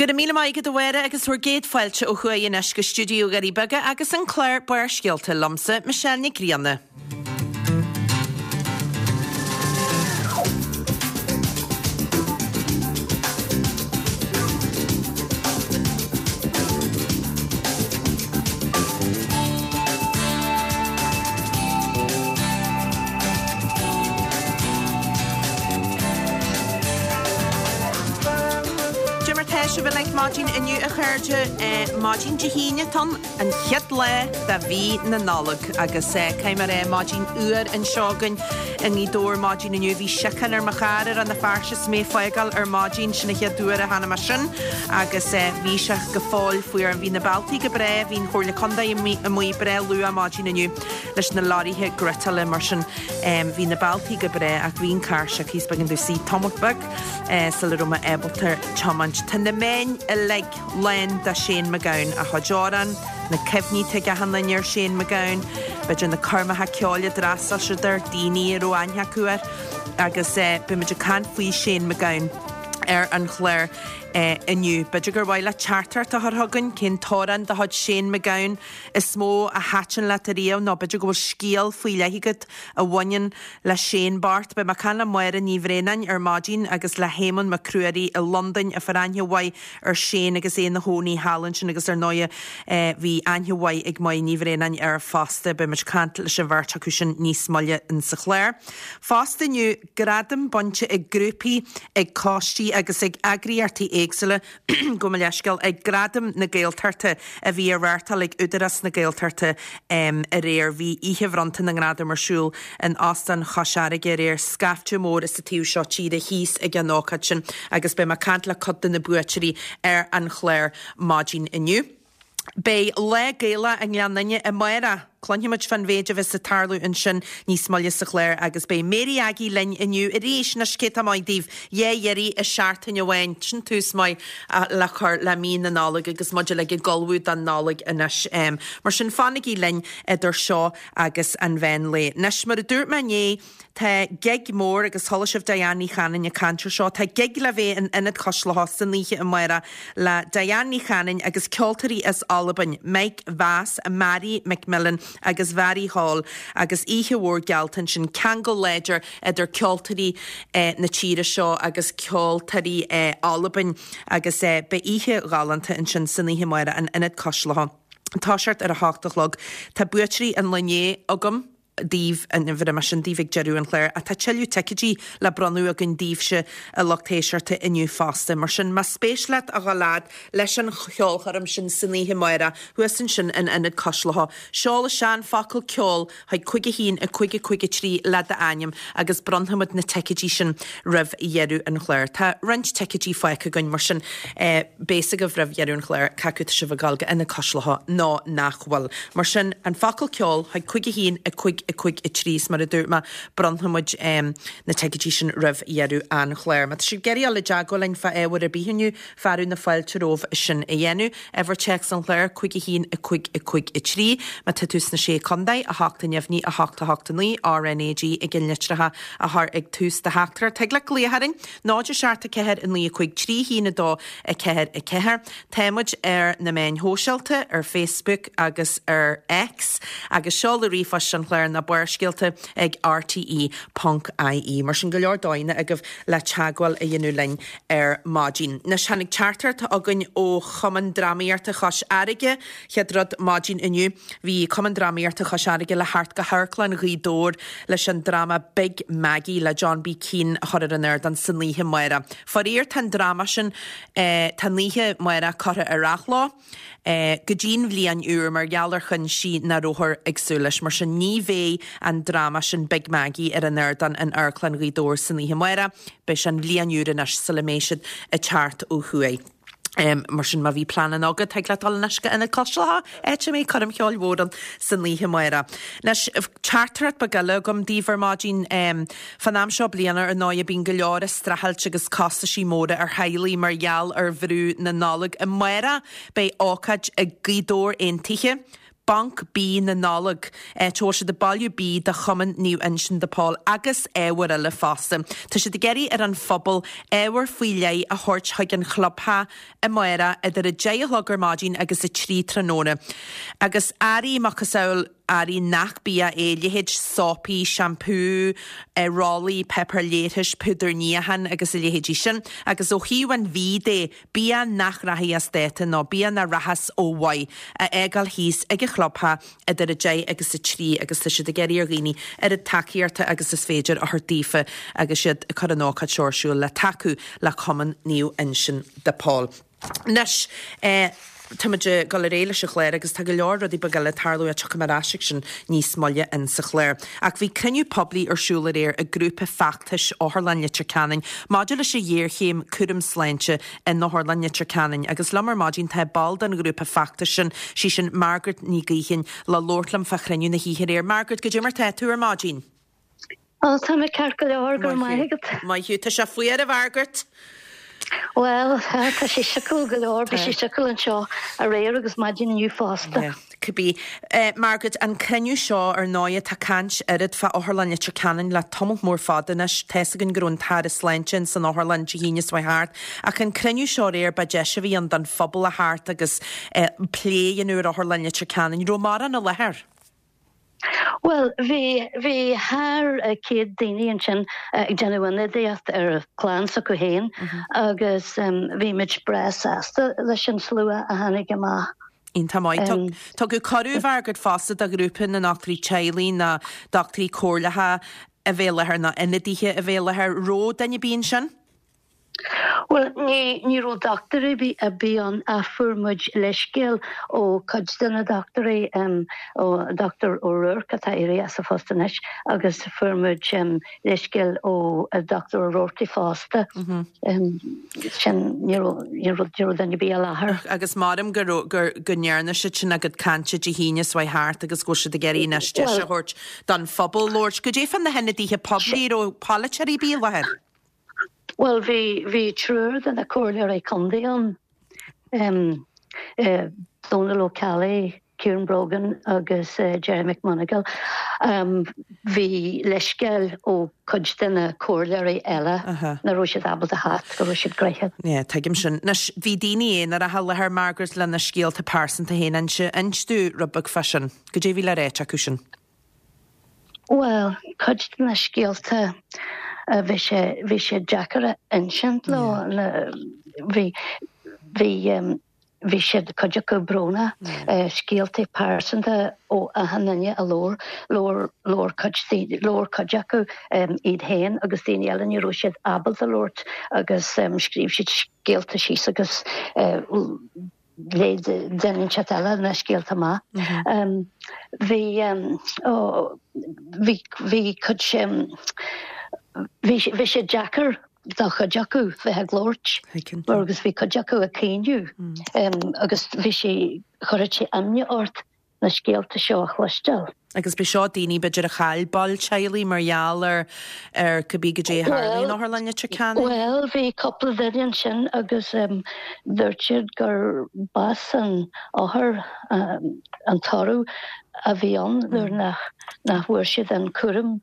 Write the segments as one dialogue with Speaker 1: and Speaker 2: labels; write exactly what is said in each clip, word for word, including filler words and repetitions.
Speaker 1: Go raibh míle maith agat a Mháire agus bhur gcéad fáilte ó thuaidh anois go stiúideo Dhoirí Beaga agus an clár Barrscéalta liomsa, Michelle Nic Grianna. Cad é mar tá sibh uilig maidin inniu a chairde, maidin Dé hAoine atá ann, an chéad lá de mhí na Nollag agus caithfidh mé a rá maidin fhuar anseo againn i nGaoth Dobhair maidin inniu. Bhí síocháin ar mo charr i Rann na Feirste is mé ag fágáil ar maidin, sin an chéad uair a chonaic mé sin agus bhí sé go fóill fuar. Bhí na bealtaí go breá, bhí an Chomhairle Contae amuigh breá luath maidin inniu leis na leoraithe gréatála mar sin bhí na bealtaí go breá ach bhí an carr sioctha is b'éigean domh suí tamall beag sula raibh mé ábalta tiomáint. Tá na meáin uilig lán de Shane MacGowan, a chuid amhrán, na cuimhní atá ag achan duine ar Shane MacGowan, b'fhéidir na coirmeacha ceoil a d'fhreastail siad air, daoine a raibh aithne acu air agus beidh muid ag caint faoi Shane MacGowan ar an chlár inniu. B'fhéidir gur mhaith leat teachtaireacht a chur chugainn, cén t-amhrán de chuid Shane MacGowan is mó a thaitin leat ariamh nó b'fhéidir go bhfuil scéal faoi leith agat a bhaineann le Shane bocht. Beidh mé ag caint le Máire Ní Bhraonáin ar maidin agus le hÉamonn Mac Ruairí i Londain a fuair aithne mhaith ar Shane agus é ina chónaí thall ansin agus ar ndóighe bhí aithne mhaith ag Máire Ní Bhraonáin air fosta. Beidh muid ag caint leis an bheirt acu sin níos moille insa chlár. Fosta inniu, gradaim bainte ag grúpaí, ag coistí agus ag eagraíochtaí éagsúla, gabh mo leithscéal, ag Gradaim na Gaeltachta a bhí á reáchtáil ag Údarás na Gaeltachta aréir. Bhí oíche bhronnta na ngradam ar siúl in Óstán Chois Fharraige aréir, scaifte mór as an taobh seo tíre thíos ag an ócáid sin agus beidh mé ag caint le cuid de na buaiteoirí ar an chlár maidin inniu. Beidh Lá Gaelach i nGleann Fhinne amárach. Cluinfimid fán mhéid a bheas ag tarlú ansin níos moille sa chlár agus beidh Mary Aggie linn inniu arís. Anois cé tá maith daoibh? Dhá iarraidh i seachtain amháin. Sin tús maith le cur le mí na Nollag agus muid uilig ag ullmhú don Nollaig anois. Mar sin fanaigí linn idir seo agus an mheán lae. Anois mar a dúirt mé inné, Tá gig mór agus chuala sibh Diane Ní Chanainn ag caint ar seo. Tá gig le bheith in Ionad Cois Locha san oíche amárach le Diane Ní Chanainn agus ceoltóirí as Albain, Mike Vass, Mhairi McMillan agus Mhairi Hall agus oíche mhór geallta ansin, ceangal láidir idir ceoltóirí na tíre seo agus ceoltóirí Albain agus beidh oíche ghalánta ansin san oíche amárach in Ionad Cois Locha. Toiseacht ar a hocht a chlog. Tá buaiteoirí an lae inné agam. daoibh, bhéarfaidh mé sin daoibh ag deireadh an chláir, ach tá tuilleadh ticéidí le bronnadh againn daoibhse a lucht éisteachta inniu fosta. Mar sin, más spéis leat a dhul fhad leis an cheolchoirm sin san oíche amárach, thuas ansin in Ionad Cois Locha, seol isteach an focal ceol chuig cúig a haon, a cúig a cúig a trí le d'ainm agus bronnfaimid na ticéidí sin roimh dheireadh an chláir. Tá roinnt ticéidí fágtha againn, mar sin beidh fhios agaibh roimh dheireadh an chláir cé acu tá sibh ag dul go Ionad Cois Locha nó nach bhfuil. Mar sin, an focal ceol chuig cúig a haon, a cúig a cúig a trí is mar a dúirt mé, bronnfaimid na ticéidí sin roimh dheireadh an chláir. Má tá sibh ag iarraidh dul i dteagmháil linn fá ábhar ar bith inniu, fearadh na fáilte romhaibh sin a dhéanamh. Uimhir téacs an chláir, cúig a haon, a cúig a cúig a trí. Má tá tú sna Sé Contae, a hocht a neamhní, a hocht a hocht a naoi, RnaG i gceannlitreacha a chur ag tús do theachtaireacht. Tig leat glaoch orainn, náid a seacht a ceathair a naoi a cúig trí haon a dó a ceathair a ceathair. Tá muid ar na meáin shóisialta, ar Facebook agus ar X, agus seoladh ríomhphoist an chláir ná Barrscéalta ag rte ponc ie. Mar sin, go leor dóigheanna agaibh le teagmháil a dhéanamh linn ar maidin. Anois, tháinig teachtaireacht chugainn ó Chumann Drámaíochta Chois Fharraige. Chéad rud maidin inniu, bhí Cumann Drámaíochta Chois Fharraige le theacht go hAmharclann Ghaoth Dobhair leis an dráma Big Maggie le John B Keane a chur ar an ardán san oíche amárach. Faraor, tá an dráma sin, tá an oíche amárach curtha ar athló go dtí'n bhliain úr mar gheall ar chúinsí nach rabhthar ag súil leis. Mar sin ní bheidh an dráma sin Big Maggie ar an ardán in Amharclann Ghaoth Dobhair san oíche amárach. Beidh sé an bhliain úr anois sula mbeidh siad ag teacht ó thuaidh. Mar sin má bhí pleananna agat, thig leat dul anois go Ionad Cois Locha, áit a mbeidh coirm cheoil mhór ann san oíche amárach. Anois, teachtaireacht beag eile agam daoibh ar maidin. Fán am seo bliana, ar ndóigh, bíonn go leor streachailt agus costaisí móra ar theaghlaigh mar gheall ar bhrú na Nollag. Amárach beidh ócáid ag Gaoth Dobhair Aontaithe, Banc Bídh na Nollag, áit a bhfuil siad ag bailiú bídh do Chumann Naomh Uinseann de Pól agus ábhair eile fosta. Tá siad ag iarraidh ar an phobal ábhar faoi leith a thabhairt chuig an chlubtheach amárach idir a deich a chlog ar maidin agus a trí tráthnóna. Agus earraí macasamhail earraí nach bia é, leithéid sópaí, seampú, rollaí, páipéar leithris, púdar níocháin agus a leithéidí sin. Agus ó thaobh an bhídh de, bia nach rachaidh as dáta nó bia nach rachas ó mhaith a fhágáil thíos ag an chlubtheach idir a deich agus a trí agus tá siad ag iarraidh ar dhaoine oiread tacaíochta agus is féidir a thabhairt daofa agus iad ag cur an ócáid seo ar siúl le tacú le Cumann Naomh Uinseann de Pól. Anois, táimid ag dul ar aghaidh leis an chlár agus tá go leor rudaí beaga eile ag tarlú ach tiocfaidh mé ar ais ag sin níos moille in sa chlár. Ach bhí cruinniú poiblí ar siúl aréir ag grúpa feachtais Otharlann Leitir Ceanainn maidir leis an ghéarchéim cúram sláinte in Otharlann Leitir Ceanainn agus liom ar maidin tá ball den ghrúpa feachtais sin, sí sin Margaret Ní Ghaoithín, le labhairt liom fá chruinniú na hoíche aréir. Margaret, goidé mar tá tú ar maidin?
Speaker 2: Ó, tá mé ceart go leor, go raibh maith agat.
Speaker 1: Maith thú. Tá sé fuar, a Mhargaret?
Speaker 2: Bhuel, tá sé siocail go leor, bhí sé siocail anseo aréir agus maidin inniu fosta.
Speaker 1: Yeah, cibé. Margaret, an cruinniú seo, ar ndóighe, tá caint oiread fá Otharlann Leitir Ceanainn le tamall mór fada anois. Tá's againn go raibh an tAire Sláinte in san otharlann Dé hAoine seo thart. Ach an cruinniú seo aréir, ba deis a bhí ann don phobal a theacht agus plé a dhéanamh ar Otharlann Leitir Ceanainn. Raibh mórán i láthair?
Speaker 2: Bhuel, bhí, bhí thar céad daoine ansin ag déanamh ionadaíocht ar chlann s'acu féin agus bhí muid breá sásta leis an slua a tháinig amach.
Speaker 1: Iontach maith. Tugadh cuireadh, a Mhargaret, fosta do ghrúpa na ndochtúirí teaghlaigh, na dochtúirí comhairleacha a bheith i láthair, nó ionadaithe a bheith i láthair. Raibh duine ar bith ansin?
Speaker 2: Bhuel, ní, ní raibh dochtúir ar bith, ar bith ann ach fuair muid leithscéal ó chuid de na dochtúirí, ó Dochtúir O'Rourke atá éirithe as a phost anois agus fuair muid leithscéal ó Dochtúir O'Rourke fosta. Sin, ní raibh, ní raibh, ní raibh duine ar bith i láthair.
Speaker 1: Agus maram go raibh, gur, go ndearna siad sin a gcuid cainte Dé hAoine seo thart agus go bhfuil siad ag iarraidh anois deis a thabhairt don phobal labhairt. Goidé fá na hionadaithe poiblí, raibh polaiteoirí ar bith i láthair?
Speaker 2: Bhuel, bhí, bhí triúr de na comhairleoirí contae ann, Dónal Ó Ceallaigh, Ciarán Brogan agus Gerry McMonagle. Bhí leithscéal ó chuid de na comhairleoirí eile nach raibh siad ábalta theacht, go raibh siad gnoitheach.
Speaker 1: Yeah, tuigim sin. Anois, bhí daoine aonaracha i láthair, Margaret, lena scéalta pearsanta féin a inse. Inis dúinn rud beag fá sin. Goidé a bhí le ráit acu sin?
Speaker 2: Bhuel, cuid de na scéalta, bhí sé, bhí sé deacair a insint leo, bhí, bhí, bhí siad, cuid acu brónach, scéalta pearsanta ó achan duine a labhair, labhair, labhair cuid, labhair cuid acu iad féin agus daoine eile, ní raibh siad ábalta labhairt agus scríobh siad scéalta síos agus léigh duine inteacht eile na scéalta amach. Bhí bhí bhí cuid bhí bhí sé deacair do chuid acu bheith ag labhairt mar agus bhí cuid acu ag caoineadh agus bhí sé chuirfeadh sé imní ort na scéalta seo a chloisteáil.
Speaker 1: Agus b'é seo daoine b'fhéidir a chaill baill teaghlaigh mar gheall ar ar cibé goidé a tharla in Otharlann Leitir Ceanainn.
Speaker 2: Bhuel, bhí cúpla duine ansin agus dúirt siad gur bás an othair an toradh a bhí ann nuair nach nach bhfuair siad an cúram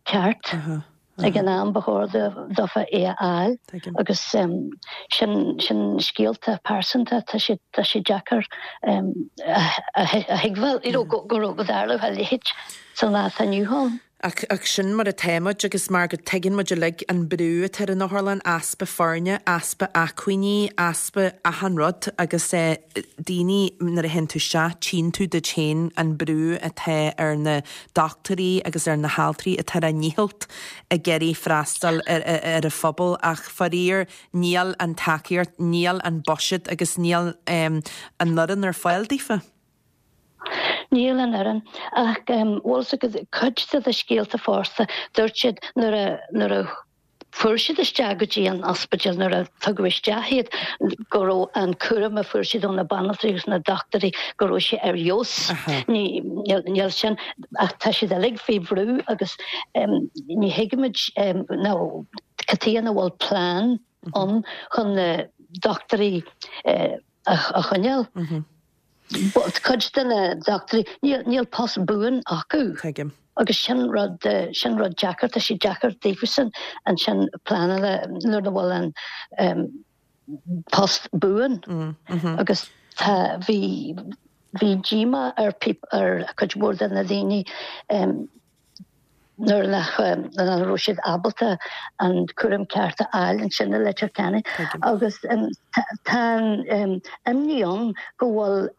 Speaker 2: ceart ag an am ba chóir dófa é a fháil agus sin sin scéalta pearsanta tá sé tá sé deacair a thuigbheáil you know go go go dtarlódh a leithéid san lá atá inniu ann.
Speaker 1: Ach ach sin mar atá muid agus mar go dtuigeann muid uilig an brú atá ar an otharlann, easpa foirne, easpa acmhainní, easpa achan rud agus eh daoine nuair a théann tú isteach tchíonn tú duit féin an brú atá ar na dochtúirí agus ar na haltraí atá ar a ndícheall ag iarraidh freastal ar ar an phobal ach faraor níl an tacaíocht, níl an buiséad agus níl an fhoireann ar fáil daofa.
Speaker 2: Níl an fhoireann ach bhfuil fhios agat cuid de na scéalta fosta dúirt siad nuair a nuair a fuair siad isteach go dtí an ospidéal nuair a tugadh isteach iad go raibh an cúram a fuair siad ó na banaltraí agus na dochtúirí go raibh sé ar fheabhas. Níl sin ach tá siad uilig faoi bhrú agus ní thuigimid nó cad chuige nach bhfuil plean ann chun na dochtúirí a choinneáil. Cuid de na dochtúirí, níl post buan acu.
Speaker 1: Tuigim.
Speaker 2: Agus sin rud sin rud deacair, tá sé deacair daofasan ansin pleanáil nuair nach bhfuil an post buan. Agus tá bhí bhí díomá ar ar cuid mhór de na daoine nuair nach nach raibh siad ábalta an cúram ceart a fháil ansin i Leitir Ceanainn. Agus tá an imní ann go bhfuil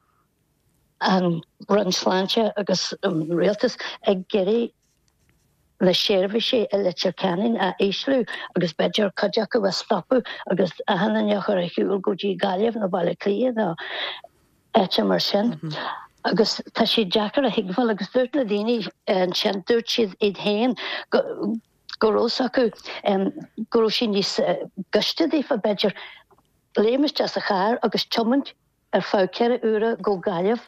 Speaker 2: an Roinn Sláinte agus an Rialtas ag iarraidh na seirbhísí i Leitir Ceanainn a ísliú agus b'fhéidir cuid acu a stopadh agus achan duine a chur ar shiúl go dtí Gaillimh nó Baile Átha Cliath nó áite mar sin. Agus tá sé deacair a thuigbheáil agus dúirt na daoine ansin, dúirt siad iad féin go go raibh fhios acu go raibh sé níos gaiste daofa b'fhéidir léim isteach sa charr agus tiomáint ar feadh ceithre uaire go Gaillimh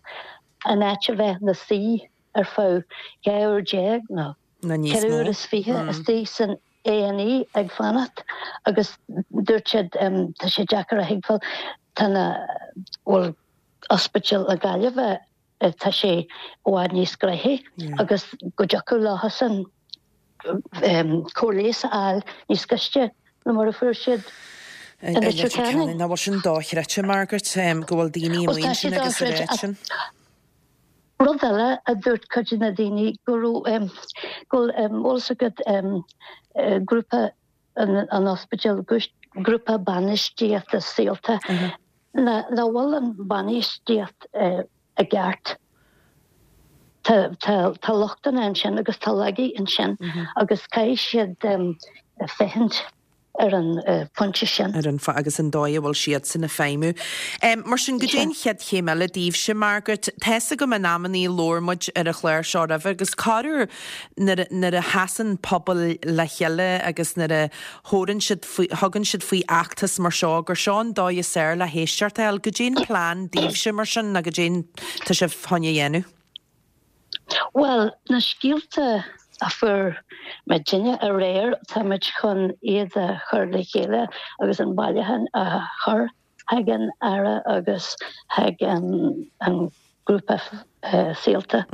Speaker 2: in áit a bheith 'na suí ar feadh dhá uair déag nó ceithre uair is fiche istigh san A and E ag fanacht agus dúirt siad tá sé deacair a thuigbheáil tá na bhuel Ospidéal na Gaillimhe tá sé i bhfad níos gnoithí agus go dtiocfadh leosan cóir leighis a fháil níos gaiste ná mar a fuair siad i Leitir Ceanainn.
Speaker 1: Nach bhfuil sin dochreidte, Margaret, go bhfuil daoine
Speaker 2: amuigh ansin agus a rá sin. Rud eile a dúirt cuid de na daoine go raibh go bhfuil fhios agat grúpa an ospidéil, grúpa bainistíochta saolta, nach bhfuil an bhainistíocht i gceart. Tá tá tá lochtanna ansin agus tá laigí ansin agus caithfidh siad féachaint ar an phointe sin.
Speaker 1: Ar an agus an dóigh a bhfuil siadsan ag feidhmiú. Mar sin, goidé an chéad chéim eile daoibhse, Margaret? Tá's agam in amannaí labhair muid ar an chlár seo roimhe agus corruair nuair nuair a sheasann pobail le chéile agus nuair a thabhrann siad faoi thugann siad faoi fheachtas mar seo gur seo an dóigh is fearr le héisteacht a fháil. Goidé an plean daoibhse mar sin nó goidé tá sibh chun a dhéanamh?
Speaker 2: Bhuel, na scéalta a fuair muidinne aréir, táimid chun iad a chur le chéile agus an bailiúchán a chur chuig an Aire agus chuig an grúpa saolta.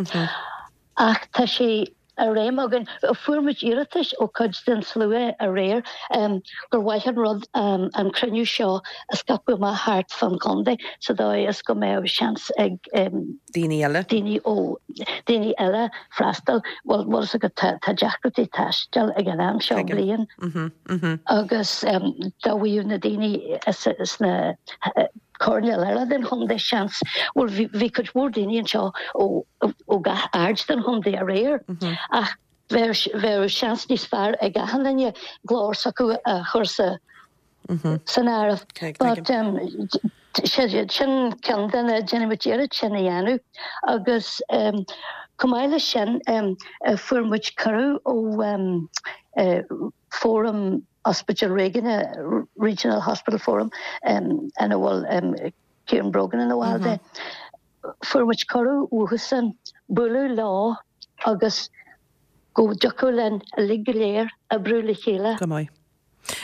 Speaker 2: Ach tá sé ar aidhm againn, fuair muid iarratais ó chuid den slua aréir gur mhaith an rud an cruinniú seo a scaipeadh amach thart fán chontae sa dóigh is go mbeadh seans ag
Speaker 1: daoine eile
Speaker 2: daoine ó daoine eile freastal. Bhuel, bhfuil fhios agat tá tá deacrachtaí taistil ag an am seo bliain agus dá bhfaigheadh na daoine sna coirnéil eile den chontae seans, bhuel bhí bhí cuid mhór daoine anseo ó ó gach aird den chontae aréir ach bheadh bheadh seans níos fearr ag achan duine glór s'acu a chur sa san áireamh. But um, sin ceann de na déanfaidh muid iarracht sin a dhéanamh agus um, chomh maith leis sin um, fuair muid cuireadh ó um, uh, Fóram Ospidéal Réigiúnach Regional Hospital Forum um, ina bhfuil um, Kieran Brogan ina bhall de. Fuair muid cuireadh uathusan bualadh leo agus go dtiocfadh linn uilig go léir oibriú le chéile.
Speaker 1: Go maith.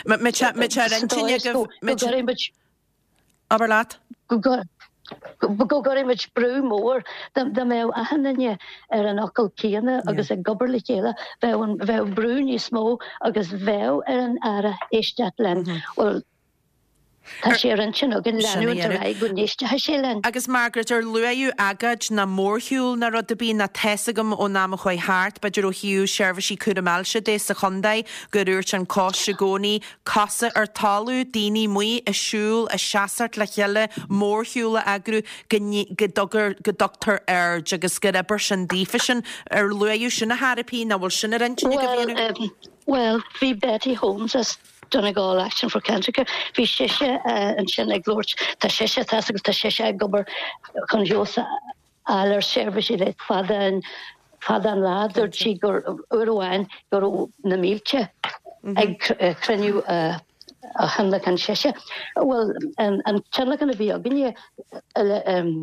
Speaker 1: Má tá ar intinn agaibh
Speaker 2: Go gcuirfidh muid
Speaker 1: Abair leat.
Speaker 2: Go go gcuirfidh muid brú mór dá mbeadh achan duine ar an fhocal céanna agus ag obair le chéile, bheadh an bheadh brú níos mó agus bheadh ar an Aire éisteacht linn. Bhuel, tá sé ar intinn againn leanúint ar aghaidh go n-éistfidh sé linn.
Speaker 1: Agus Margaret, ar luaíodh agóid ná mórshiúl ná rud ar bith ná tá's agam ón am a chuaigh thart, b'fhéidir ó thaobh seirbhísí cúram ailse de sa chontae, gur dhúirt an coiste i gcónaí, cosa ar talamh, daoine amuigh ag siúl, ag seasamh le chéile, mórshiúl a eagrú, go go dtugtar aird agus gur obair sin daofa sin. Ar luaíodh sin a thairpí nó bhfuil sin ar intinn agaibh a dhéanamh?
Speaker 2: Bhuel, bhí Betty Holmes as Donegal Action for Cancer Care, bhí sise ansin ag labhairt, tá sise, tá agus tá sise ag obair chun feabhas a fháil ar seirbhísí le fada an fada an lá. Dúirt sí gur uair amháin go raibh na mílte ag cruinniú a thionlacan sise. Bhuel, an tionlacan a bhí againne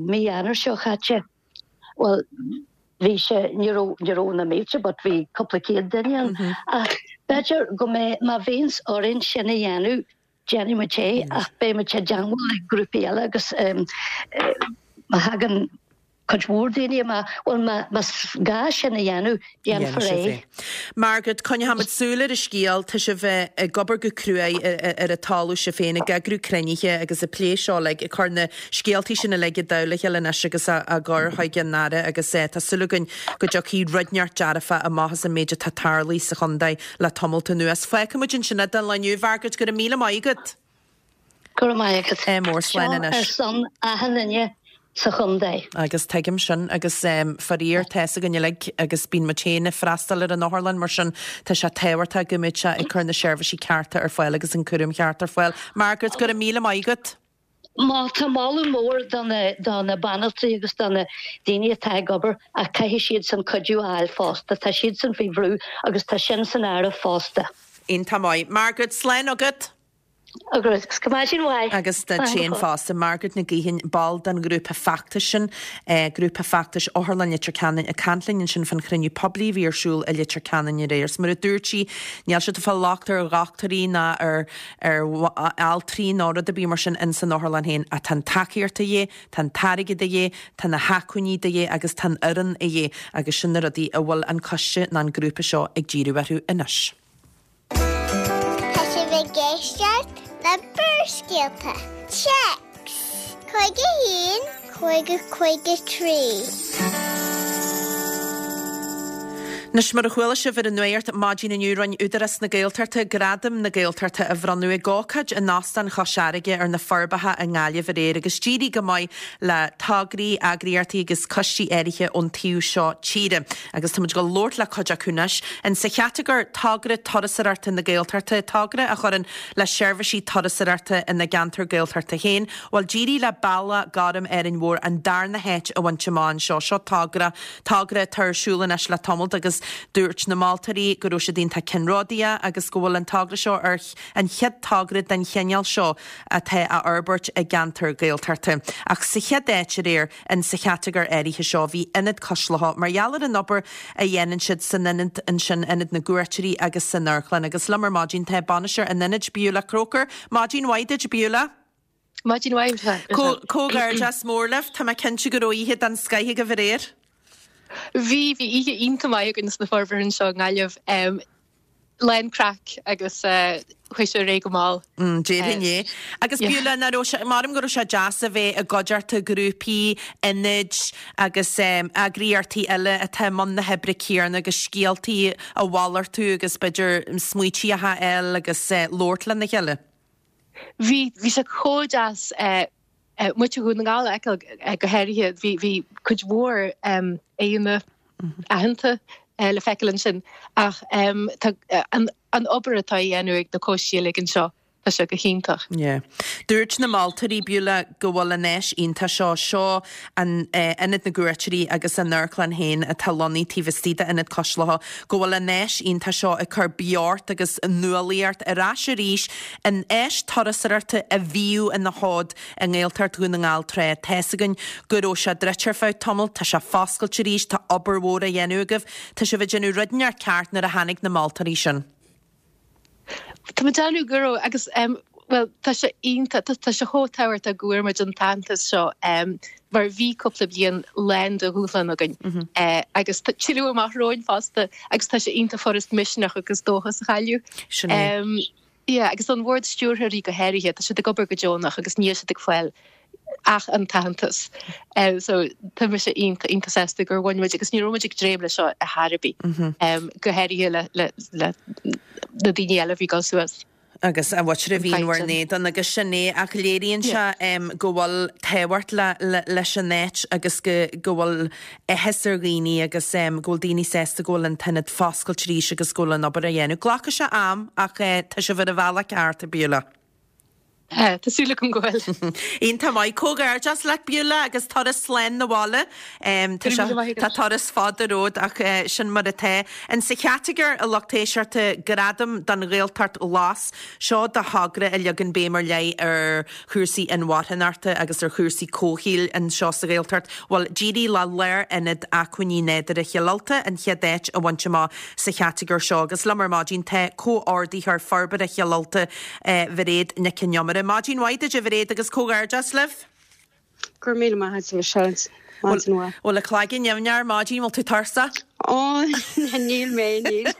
Speaker 2: mí Eanáir seo chaite, bhuel, bhí sé, ní raibh, ní raibh na mílte but bhí cúpla céad duine ann. Ach b'fhéidir go mbeidh, má bhíonns orainn sin a dhéanamh, déanfaidh muid é ach beidh muid i dteangmháil le grúpaí eile agus má thagann cuid mhór daoine amach, bhuel más gá sin a dhéanamh, déanfar é.
Speaker 1: Margaret, coinneoimid súil ar an scéal, tá sibh ag obair go cruaidh ar an talamh sibh féin, ag eagrú cruinnithe agus ag plé seo uilig, ag cur na scéaltaí sin uilig i dtoll a chéile anois agus á gcur chuig an Aire agus tá súil againn go dtiocfaidh rud inteacht dearfach amach as an méid atá tarlaithe sa chontae le tamalt anuas. Fágfaimid ansin é don lá inniu, Mhargaret, go raibh míle maith agat.
Speaker 2: Go raibh maith agat.
Speaker 1: Mór slán anois.
Speaker 2: Seo ar son achan duine sa chontae.
Speaker 1: Agus tuigim sin agus faraor tá fhios againn uilig agus bíonn muid féin ag freastal ar an otharlann mar sin tá sé tábhachtach go mbeadh sé ag cur na seirbhísí cearta ar fáil agus an cúram ceart ar fáil. Margaret, go raibh míle maith agat.
Speaker 2: Má tá moladh mór do na do na banaltraí agus do na daoine atá ag obair ach caithfidh siadsan cuidiú a fháil fosta. Tá siadsan faoi bhrú agus tá sin san áireamh fosta.
Speaker 1: Iontach maith. Margaret, slán agat.
Speaker 2: Agus go maidin mhaith.
Speaker 1: Agus duit féin fosta. Margaret Nic Gaoithin, ball den ghrúpa feachtais sin, Grúpa Feachtais Otharlann Leitir Ceanainn, ag caint linn ansin fán chruinniú poiblí a bhí ar siúl i Leitir Ceanainn aréir. 'S mar a dúirt sí, níl siad ag fáil locht ar dhochtúirí ná ar ar altraí ná rud ar bith mar sin ins an otharlann féin ach tá an tacaíocht de dhíth, tá an t-airgead de dhíth, tá na hacmhainní de dhíth agus tá an fhoireann de dhíth agus sin na rudaí a bhfuil an coiste ná an grúpa seo ag díriú orthu anois.
Speaker 3: Tá sibh ag éisteacht le Barrscéalta. Téacs cúig a haon, cúig a cúig a trí.
Speaker 1: Anois, mar a chuala sibh ar an nuacht maidin inniu, rinne Údarás na Gaeltachta Gradaim na Gaeltachta a bhronnadh ag ócáid in Óstán Chois Fharraige ar na Forbacha i nGaillimh aréir agus d'éirigh go maith le tograí, eagraíochtaí agus coistí áirithe ón taobh seo tíre. Agus tá muid ag dul labhairt le cuid acu anois. In sa chatagóir Togra Turasóireachta na Gaeltachta, togra a chuireann le seirbhísí turasóireachta ina gceantar Gaeltachta féin, bhuel d'éirigh le Bealach Gorm Árainn Mhór an darna háit a bhaint amach anseo. Seo togra, togra atá ar siúl anois le tamalt agus dúirt na moltóirí go raibh siad iontach ceannródaíoch agus go bhfuil an togra seo ar an chéad togra den chineál seo atá á fhorbairt i gceantar Gaeltachta. Ach sa chéad áit aréir in sa chatagóir áirithe seo bhí Ionad Cois Locha mar gheall ar an obair a dhéanann siad san ionad ansin, Ionad na gCuairteoirí agus san amharclann. Agus liom ar maidin tá bainisteoir an ionaid, Beulah Croker. Maidin mhaith duit, Beulah.
Speaker 4: Maidin mhaith.
Speaker 1: Comhghairdeas mór libh. Tá mé cinnte go raibh oíche den scoith agaibh aréir.
Speaker 4: Bhí, bhí oíche iontach maith againn sna Forbacha anseo i nGaillimh. Lán craic agus chuaigh sé ar aghaidh go mall.
Speaker 1: Déarfainn é. Agus Beulah, nach raibh sé, measaim go raibh sé deas a bheith i gcuideachta grúpaí, ionaid agus eagraíochtaí eile atá i mbun na hoibre céanna agus scéaltaí a mhalartú agus b'fhéidir smaoití a fháil agus labhairt lena chéile.
Speaker 4: Bhí, bhí sé chomh deas muintir Dhún na nGall a fheiceáil go háirithe. Bhí, bhí cuid mhór aíonna aitheanta le feiceáil ansin ach tá an an obair atá á dhéanamh ag na coistí uilig anseo, tá sé go hiontach.
Speaker 1: Yeah. Dúirt na moltóirí, Beulah, go bhfuil an áis iontach seo, seo an Ionad na gCuairteoirí agus an amharclann féin atá lonnaithe taobh istigh d'Ionad Cois Locha, go bhfuil an áis iontach seo ag cur beocht agus nuálaíocht ar ais arís in áis turasóireachta a bhíodh ina sheoid i nGaeltacht Dhún na nGall tráth. Tá's againn go raibh sé druidte ar feadh tamaill, tá sé foscailte arís, tá obair mhór á dhéanamh agaibh. Tá sibh ag déanamh rud inteacht ceart nuair a tháinig na moltóirí sin.
Speaker 4: Tá mé ag déanamh go raibh agus bhuel tá sé iontach, tá sé chomh tábhachtach go bhfuair muid an t-aitheantas seo mar bhí cúpla bliain lán de dhúshlán againn agus tá tuilleadh amach romhainn fosta agus tá sé iontach furast misneach agus dóchas a chailleadh.
Speaker 1: Sin é.
Speaker 4: Yeah, agus an bord stiúrthóirí go háirithe, tá siad ag obair go deonach agus níl siad ag fáil ach an t-aitheantas. So tá mise iontach, iontach sásta gur bhain muid agus ní raibh muid ag dréim leis seo ar chor ar bith, go háirithe le, le, le na daoine eile a bhí ag dul suas.
Speaker 1: Agus a mhuintir a bhí in bhur n-éadan agus sin é ach léiríonn sé go bhfuil tábhacht le, le, leis an áit agus go, go bhfuil áthas ar dhaoine agus go bhfuil daoine sásta go bhfuil an t-ionad foscailte arís agus go bhfuil an obair á dhéanamh. Glacfaidh sé am ach tá sibh ar an bhealach ceart, a Beulah.
Speaker 4: Tá súil agam go bhfuil.
Speaker 1: Iontach maith. Comhghairdeas leat Beulah agus turas slán 'na bhaile. Tá sé, tá turas fada romhat ach sin mar atá. In sa chatagóir a lucht éisteachta Gradam don Ghaeltacht Ghlas, seo do thogra a leagann béim ar leith ar chúrsaí inmharthanachta agus ar chúrsaí comhshaoil anseo sa Ghaeltacht. Bhuel, d'éirigh le Lárionad Acmhainní Nádúrtha Chill Ulta an chéad áit a bhaint amach sa chatagóir seo agus liom ar maidin tá Comhordaitheoir Forbartha Chill Ulta, Mhairéad Nic Con Iomaire. Maidin mhaith duit, a Mhairéad, agus comhghairdeas libh.
Speaker 5: Go Go raibh míle maith agat, a Mhichelle. Maidin mhaith.
Speaker 1: Bhfuil a cloigeann nimhneach ar maidin, bhfuil tú tuirseach?
Speaker 5: Ó, níl mé, níl.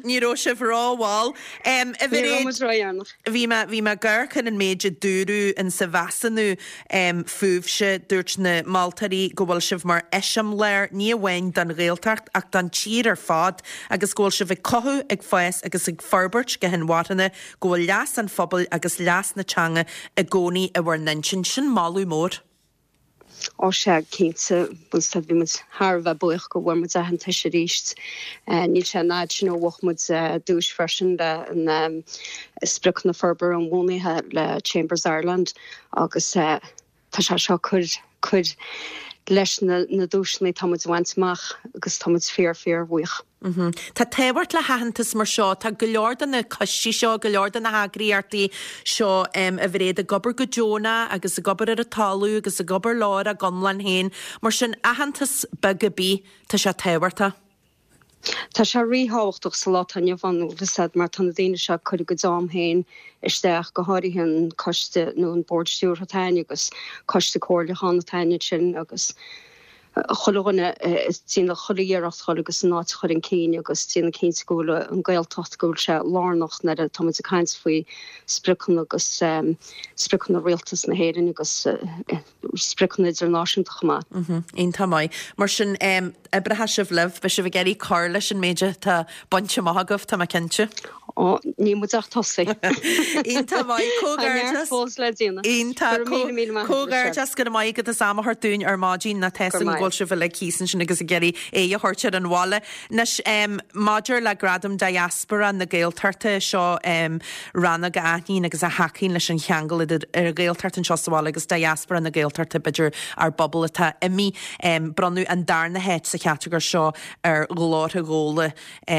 Speaker 1: Ní raibh sibh rómhall.
Speaker 5: Ní raibh muid ródheireanach.
Speaker 1: Bhí mé bhí mé ag amharc ar an méid a dúradh in sa mheasúnú fúibhse, dúirt na moltóirí go bhfuil sibh mar eiseamláir ní amháin don Ghaeltacht ach don tír ar fad agus go bhfuil sibh ag cothú, ag fás agus ag forbairt go hinmharthana, go bhfuil leas an phobail agus leas na teanga i gcónaí i bhur n-intinn. Sin moladh mór.
Speaker 5: Ó sea, cinnte, bhuel bhí muid thar a bheith buíoch go bhfuair muid aitheantas arís. Níl sé an fhad sin ó bhuaigh muid duais freisin le an Spriocanna Forbartha Inbhuanaithe le Chambers Ireland agus tá sé seo cur cur leis na na duaiseanna atá muid a bhaint amach agus tá muid fíor fíor bhuíoch.
Speaker 1: Tá tábhacht le haitheantas mar seo. Tá go leor de na coistí seo, go leor de na heagraíochtaí seo a Mhairéad ag obair go deonach agus ag obair ar an talamh agus ag obair lár a gconlán féin. Mar sin, aitheantas beag ar bith, tá sé tábhachtach.
Speaker 5: Tá sé ríthábhachtach sa lá atá inniu ann, bhfuil mar tá na daoine seo ag cur a gcuid am féin isteach, go háirithe an coiste nó an bord stiúrtha atá againn agus coiste comhairliúcháin atá againn ansin agus chuile dhuine ag déanamh chuile iarracht dhul agus an áit a chur chun cinn agus déanamh cinnte go bhfuil an Ghaeltacht go bhfuil sé lárnach nuair atá muid ag caint faoi spriocanna agus spriocanna Rialtas na hÉireann agus spriocanna idirnáisiúnta chomh
Speaker 1: maith. Iontach maith. Mar sin, oibreoidh sibh libh, beidh sibh ag iarraidh cur leis an méid atá bainte amach agaibh, tá mé cinnte.
Speaker 5: Ó, níl muid ach tosaithe.
Speaker 1: Iontach maith.
Speaker 5: Comhghairdeas. Tá neart fós le déanamh.
Speaker 1: Iontach.
Speaker 5: Go raibh míle míle maith agat, Michelle.
Speaker 1: Comhghairdeas, go raibh maith agat as am a thabhairt dúinn ar maidin, tá a fhios agam go bhfuil sibh uilig thíos ansin agus ag iarraidh aghaidh a thabhairt ar an bhaile. Anois, maidir le Gradam Diaspora na Gaeltachta, seo rannóg a aithníonn agus a thacaíonn leis an cheangal idir an Ghaeltacht anseo sa bhaile agus Diaspora na Gaeltachta, b'fhéidir ár bpobal atá imithe. Bronnadh an darna háit sa chatagóir seo ar Ghlórtha Ghabhla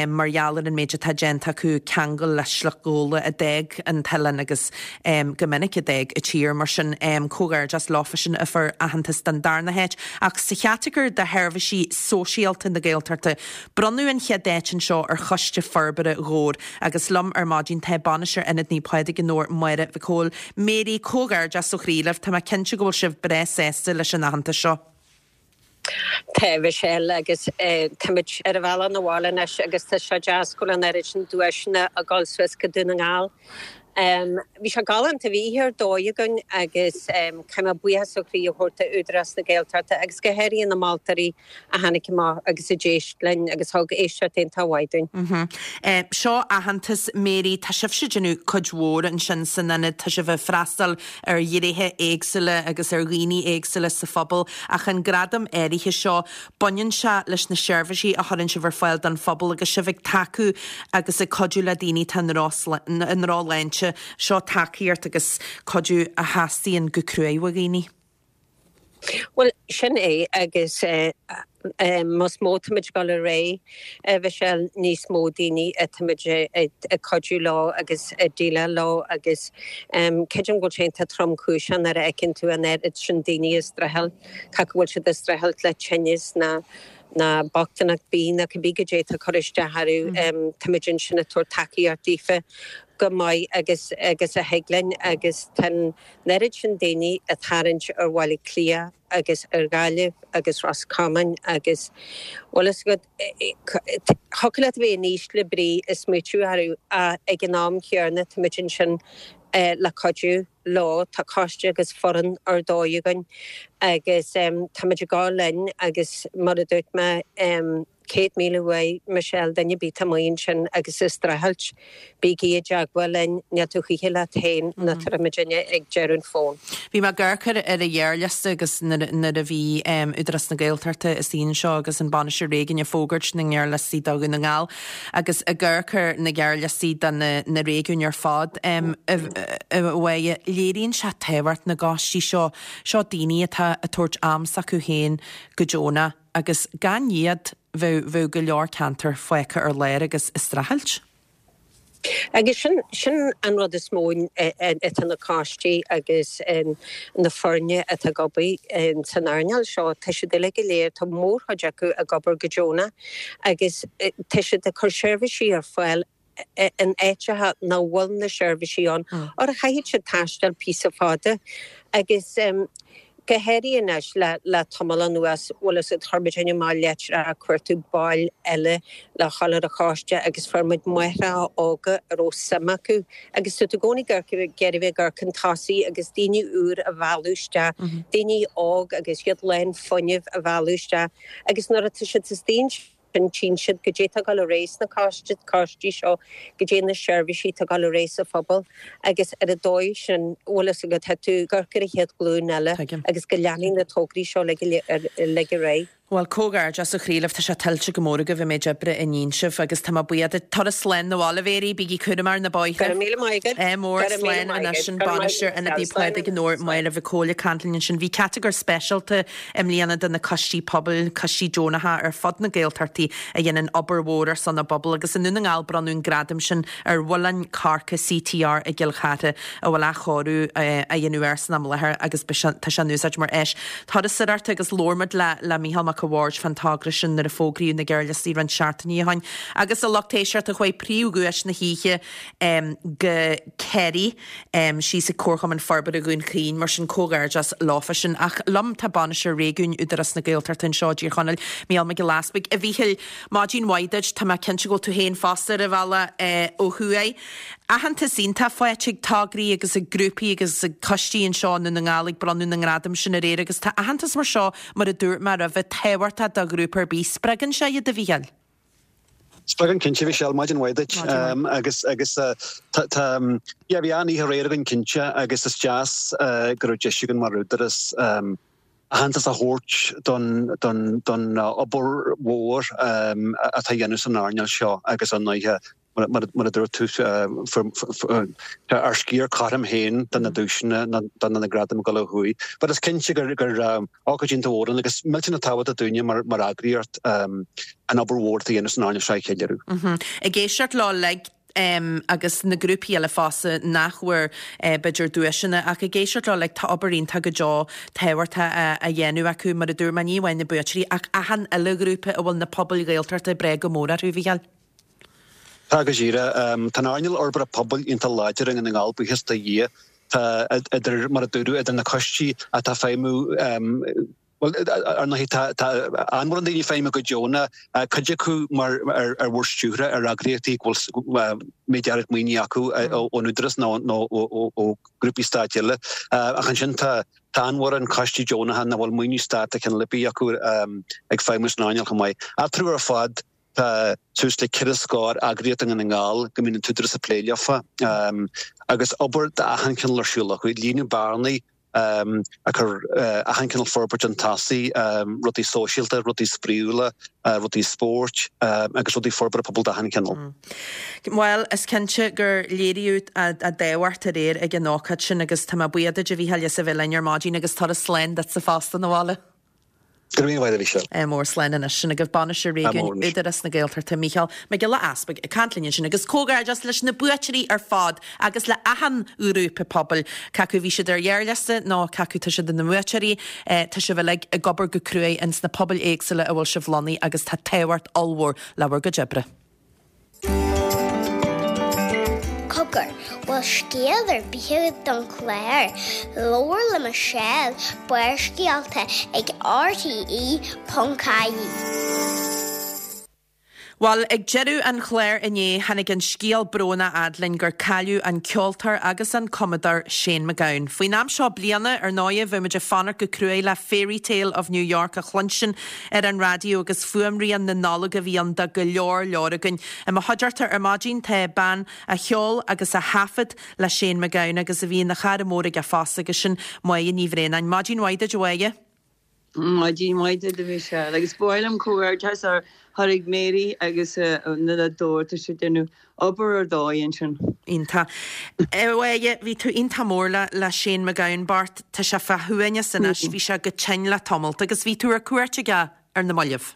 Speaker 1: mar gheall ar an méid atá déanta acu ceangal le sliocht Ghabhla a d'fhág an t-oileán agus go minic a d'fhág an tír. Mar sin, comhghairdeas leofa sin a fuair aitheantas don darna háit. Ach sa chatagóir do sheirbhísí sóisialta na Gaeltachta, bronnadh an chéad áit anseo ar Choiste Forbartha Dhobhair agus liom ar maidin tá bainisteoir Ionad Naomh Pádraig i nDobhar, Máire Mhic Cóil. Mary, comhghairdeas ó chroí libh. Tá mé cinnte go bhfuil sibh breá sásta leis an aitheantas seo.
Speaker 6: Tá, Michelle, agus táimid ar an bhealach 'na bhaile anois agus tá sé deas go bhfuil an oiread sin duaiseanna ag dul suas go Dún na nGall. Bhí sé galánta, bhí oíche ar dóigh againn agus caithfidh mé buíochas ó chroí a thabhairt do Údarás na Gaeltachta agus go háirithe na moltóirí a tháinig amach agus a d'éist linn agus thug éisteacht iontach mhaith
Speaker 1: dúinn. Seo aitheantas, Mary, tá sibhse ag déanamh cuid mhór ansin san ionad, tá sibh ag freastal ar ghnéithe éagsúla agus ar dhaoine éagsúla sa phobal ach an gradam áirithe seo, baineann sé leis na seirbhísí a chuireann sibh ar fáil don phobal agus sibh ag tacú agus ag cuidiú le daoine atá i ndrochshláinte. Seo tacaíocht agus cuidiú a theastaíonn go cruaidh ó dhaoine.
Speaker 6: Bhuel, sin é agus más mó táimid ag dul ar aghaidh, a Mhichelle, níos mó daoine atáimid ag cuidiú leo agus ag déileáil leo agus creidim go bhfuil sé iontach tromchúiseach nuair a fheiceann tú an oiread sin daoine ag streachailt, cé go bhfuil siad ag streachailt le tinneas ná ná bochtaineacht bídh nó cibé goidé atá ag cur isteach orthu. Táimid ansin ag tabhairt tacaíocht daofa chomh maith agus agus a thig linn agus tá an oiread sin daoine ag tarraingt ar Bhaile Átha Cliath agus ar Ghaillimh agus Ros Comáin agus bhfuil fhios agat thiocfadh leat a bheith in ísle brí ag smaoitiú orthu ach ag an am chéanna táimid ansin le cuidiú leo. Tá coiste agus foireann ar dóigh againn agus táimid ag gabháil linn agus mar a dúirt mé céad míle uaidh Michelle, duine ar bith atá amuigh ansin agus ag streachailt, bígí i dteagmháil linn, níl tú choíche leat féin nó tá muidinne ag deireadh an fóin.
Speaker 1: Bhí mé ag amharc ar an ghearrliosta agus nuair a bhí Údarás na Gaeltachta istigh anseo agus an Bainisteoir Réigiúin ag fógairt na ngearrliostaí do Dhún na nGall agus ag amharc ar na gearrliostaí do na réigiúin ar fad a Mháire, léiríonn sé tábhacht na gcoistí seo, seo daoine atá ag tabhairt am s'acu féin go deonach agus gan iad bheadh, bheadh go leor ceantar fágtha ar lár agus ag streachailt.
Speaker 6: Agus sin, sin an rud is mó atá na coistí agus na foirne atá ag obair san earnáil seo, tá siad uilig go léir, tá mórchuid acu ag obair go deonach agus tá siad ag cur seirbhísí ar fáil in áiteacha nach bhfuil na seirbhísí ann, or chaithfidh siad taisteal píosa fada agus go háirithe anois le le tamall anuas, bhfuil fhios agat, chuir muid amach litreacha ag cuartú baill eile le dhul ar an choiste agus fuair muid máithreacha óga a raibh suim acu agus tá tú i gcónaí ag iarraidh ag iarraidh bheith ag amharc chun tosaigh agus daoine úr a mhealladh isteach, daoine óg agus iad lán fuinnimh a mhealladh isteach agus nuair atá siad istigh ansin tchíonn siad goidé tá ag dul ar aghaidh sna coistí seo, goidé na seirbhísí atá ag dul ar aghaidh sa phobal agus ar an dóigh sin, bhfuil fhios agat, tá tú ag amharc ar an chéad ghlúin eile agus go leanfaidh na tograí seo uilig ar aghaidh.
Speaker 1: Bhuel, comhghairdeas ó chroí libh, tá sé tuillte go mór agaibh an méid oibre a ndéanann sibh agus tá mé buíoch duit. Turas slán 'na bhaile, a Mhary, bígí cúramach ar na bóithre.
Speaker 6: Go raibh míle maith agat.
Speaker 1: Ádh mór, slán anois an bainisteoir Ionadaí Phádraig i nDobhar, Máire Mhic Cóil ag caint linn ansin. Bhí catagóir speisialta i mbliana do na coistí pobail, coistí deonacha ar fud na Gaeltachtaí a dhéanann obair mhór ar son a bpobal agus i nDún na nGall bronnadh an gradam sin ar Mhuileann Corca CTR i gCill Chartha a bhfuil athchóiriú á dhéanamh air san am i láthair agus tá sé in úsáid mar áis turasóireachta agus labhair muid le le Mícheál Mac a' Bhaird fán togra sin nuair a fógraíodh na gearrliostaí roinnt seachtainí ó shin. Agus a lucht éisteachta chuaigh príomhdhuais na hoíche go Kerry síos ag Comharchumann Forbartha Dhún Chaoin, mar sin comhghairdeas leofa sin. Ach liom tá Bainisteoir Réigiúin Údarás na Gaeltachta anseo i dTír Chonaill, Mícheál Mac Giolla Easpaig. A Mhíchíl, maidin mhaith duit, tá mé cinnte go bhfuil tú féin fosta ar an bhealach ó thuaidh. Aitheantas iontach faighte ag tograí agus ag grúpaí agus ag coistí anseo i nDún na nGall ag bronnadh na ngradam sin aréir agus tá aitheantas mar seo, mar a dúirt mé roimhe, tábhachtach do ghrúpa ar bith. Spreagann sé iad, a Mhíchíl?
Speaker 7: Spreagann cinnte, a Mhichelle, maidin mhaith duit. Agus agus tá tá yeah bhí an-oíche aréir againn cinnte agus is deas go raibh deis againn mar Údarás aitheantas a thabhairt don don don obair mhór atá á dhéanamh san earnáil seo agus an oíche Mar a dúirt tú, tá ár sciar cothrom féin de na duaiseanna, de na gradaim ag dul ó thuaidh. But is cinnte gur ócáid iontach mhór ann agus millteanach tábhachtach dúinne mar eagraíocht an obair mhór atá á dhéanamh san earnáil seo a cheiliúradh.
Speaker 1: Ag éisteacht leo uilig agus na grúpaí eile fosta nach bhfuair b'fhéidir duaiseanna ach ag éisteacht leo uilig tá obair iontach go deo tábhachtach á dhéanamh acu mar a dúirt mé ní amháin na buaiteoirí ach achan uile ghrúpa a bhfuil na pobail Ghaeltachta ag brath go mór orthu, a Mhíchíl.
Speaker 7: Tá go díreach. Tá an earnáil fhorbartha pobail iontach láidir i nDún na nGall, buíochas do Dhia. Tá idir, mar a dúradh, idir na coistí atá ag feidhmiú, bhuel, ar ndóigh, tá tá an-mhórán daoine ag feidhmiú go deonach, cuid acu mar ar ar bhord stiúrtha ar eagraíochtaí go bhfuil méid áirid maoinithe acu ón Údarás nó nó ó ghrúpaí stáit eile. Ach ansin tá tá an-mhórán coistí deonacha nach bhfuil maoiniú stáit de chineál ar bith acu ag feidhmiú san earnáil chomh maith. Eatarthu ar fad, Tá suas le ceithre scór eagraíocht i nDún na nGall go mbíonn an tÚdarás ag plé leofa agus obair d'achan chineál ar siúl acu, ag líonadh bearnaí, ag cur achan chineál forbairt chun tosaigh, rudaí sóisialta, rudaí spraíúla, rudaí spóirt agus rudaí forbartha pobail d'achan chineál.
Speaker 1: Bhuel, is cinnte gur léiríodh a dtábhacht aréir ag an ócáid sin agus tá mé buíoch duit a Mhíchíl as a bheith linn ar maidin agus turas slán duitse fosta 'na bhaile.
Speaker 7: Go raibh míle maith agat, a Mhichelle.
Speaker 1: Ádh mór slán anois. Sin agaibh Bainisteoir Réigiúin Údarás na Gaeltachta, Mícheál Mac Giolla Easpaig, ag caint linn ansin agus comhghairdeas leis na buaiteoirí ar fad agus le achan ghrúpa pobail, cé acu bhí siad ar ghearrliosta nó cé acu tá siad ina mbuaiteoirí, tá sibh uilig ag obair go cruaidh ins na pobail éagsúla a bhfuil sibh lonnaithe agus tá tábhacht ollmhór le bhur gcuid oibre.
Speaker 3: Cogar, bhfuil scéal ar bith agat don chlár? Labhair le Michelle, Barrscéalta ag RTE ponc ie.
Speaker 1: Bhuel, ag deireadh an chláir inné, tháinig an scéal brónach fhad linn gur cailleadh an ceoltóir agus an cumadóir Shane MacGowan. Faoin am seo bliana, ar ndóigh, bheadh muid ag fanacht go cruaidh le Fairytale of New York a chluinstin ar an raidió agus fuaimrian na Nollag a bhí ann do go leor leor againn. I mo chuideachta ar maidin tá bean a cheol agus a thaifead le Shane MacGowan agus a bhí ina chara mór aige fosta agus sin Máire Ní Bhraonáin. Maidin mhaith duit a Mháire.
Speaker 8: Maidin mhaith duit a Mhichelle agus ba mhaith liom comhghairdeas a chur chuig Mary agus na Dór, tá siad ag déanamh obair ar dóigh ansin.
Speaker 1: Iontach. A Mháire, bhí tú iontach mór le le Shane MacGowan bocht, tá sé fá shuaimhneas anois, bhí sé go tinn le tamalt agus bhí tú ar cuairt aige ar na mallaibh.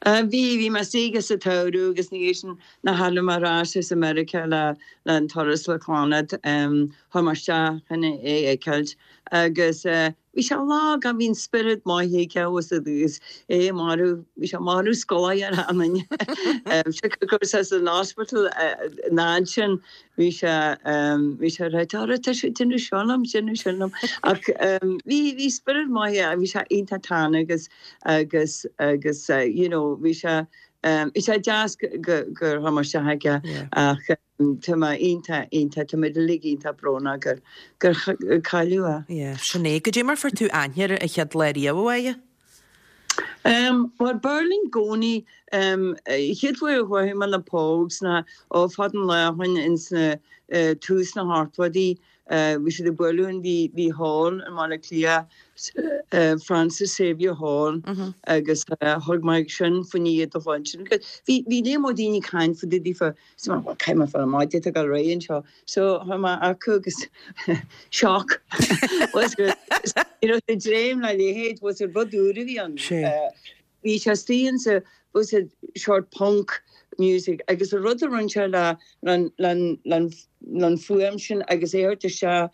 Speaker 8: Bhí, bhí mé istigh sa tsamhradh agus ina dhiaidh sin nuair a tharla mé ar ais as America le le an turas le Clannad, chuaigh mé isteach chun é a fheiceáilt agus bhí sé lag ach bhí an spiorad maith aige agus é marbh, bhí sé marbh scoláire ar an duine. Go raibh sé san hospital an fhad sin bhí sé bhí sé ag ráit, Ara tá sé ag déanamh seo liom, déanamh sin liom. Ach bhí bhí spiorad maith aige, bhí sé iontach tana agus agus agus you know bhí sé bhí sé deas gur chuaigh mé isteach aige ach tá mé iontach iontach tá muid uilig iontach brónach gur gur cailleadh é.
Speaker 1: Yeah, sin é. Goidé mar fuair tú aithne air an chéad lá riamh, a Mháire?
Speaker 8: Um, bhuel b'fhearr linn i gcónaí um, chéad uair a chuaigh mé na Pogues ná ó fad an lá ó shin ins na uh, tús na hochtóidí uh, bhí siad ag bualadh in bhí bhí hall i mBaile Átha Cliath uh, Francis Xavier Hall mm -hmm. agus uh, thug mé sin faoin iad a bhain sin. Bhí bhí léim ó daoine caint fa dí fa cai fa maide go ré anseo so chuaigh mé acu agus shock was good. You know, the dream le leithéid was a rud úr a bhí ann. Bhí sé istigh sa was a sort punk music agus a rud a rinne sé le an fuaim sin agus é isteach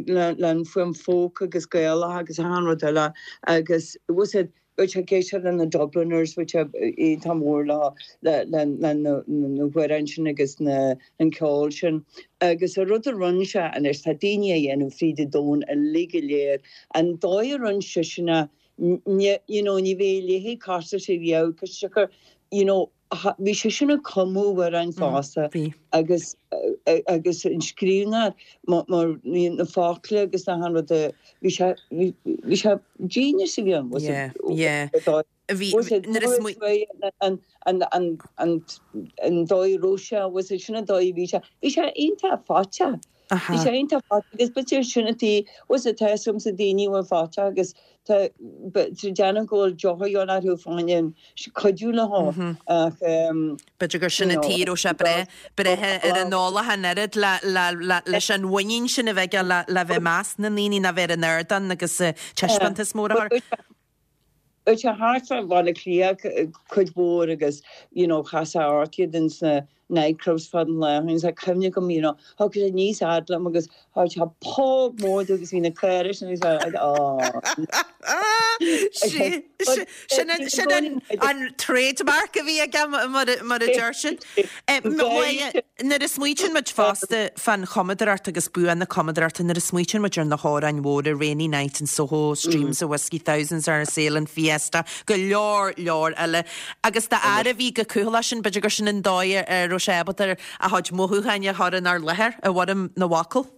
Speaker 8: le an fuaim folk agus Gaelach agus an rud eile agus was it which ag éisteacht le na Dubliners which iontach mór le le le na hamhráin sin agus na an ceol sin agus a rud a rinne sé anois tá daoine a dhéanamh fríd an domhan uilig go léir an dóigh a rinne seisean you know ní bheidh leithéid casta sé riamh cos siocair you know bhí sé sin ag cumadh amhráin fosta agus agus an scríbhneoir mar na focla agus na han rud bhí sé bhí sé genius a bhí ann was
Speaker 1: Yeah, yeah. Bhí nuair is
Speaker 8: mu- an an an an an dóigh raibh sé was it sin an dóigh bhí sé bhí sé iontach faighte. Bhí sé iontach faighte agus b'fhéidir sin an tí was it tá sa daoine bhfuil faighte agus tá déanamh go bhfuil deoch orthu fáin cuidiú le há ach
Speaker 1: B'fhéidir gur sin an tí raibh sé breith breithe ar an eolach an oiread le le le leis an mhuinín sin a bheith le le bheith meas na ndaoine na bheith ar an ardán agus taispeántas mór a chur.
Speaker 8: Bhí sé thart fá Bhaile Átha Cliath cuid mhór agus you know chas sé ort iad ins na nightclubs fad an lae agus tá cuimhne agam you know thug sé níos fhad liom agus thug sé póg mór agus bhí na caora sin agus
Speaker 1: Sin sin an an trademark a bhí aige mar mar a deir siad. Nuair a smaoitíonn muid fosta fan chumadóireacht agus bua na cumadóireachta nuair a smaoitíonn muid ar na hamhráin mhóra Rainy Night in Soho, Streams of Whiskey, Thousands Are a-Sailing, Fiesta, go leor leor eile. Agus dá fhear a bhí go cúthaileach sin b'fhéidir gur sin an dóigh ar raibh sé ábalta a chuid mothúcháin a chur inár láthair i bhfoirm na bhfocal.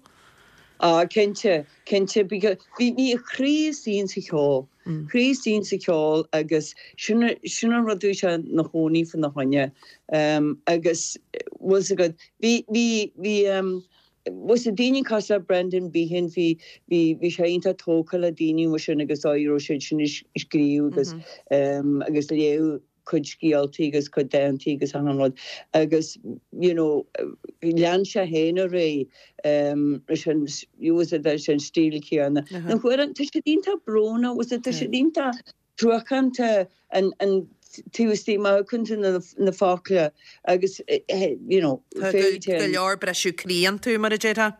Speaker 8: Ah cinnte, cinnte because bhí bhí a chroí istigh sa cheol. Croí istigh sa cheol agus sin sin an rud a bhí sé ina chónaí faoina choinne. Um, agus was agat bhí bhí bhí um, was a daoine cosúil le Brendan Behan bhí bhí bhí sé iontach tógtha le daoine mar sin agus raibh siad sin ag scríobh agus um, agus léamh cuid scéaltaí agus cuid dántaí agus an rud agus you know lean sé féin a ré um, leis an was it leis an stíl céanna. Na huair tá siad iontach brónach was it tá siad iontach truacánta an an taobh istigh má chun na na focla agus you know
Speaker 1: Tá go go leor briseadh croí iontu mar a déarfá.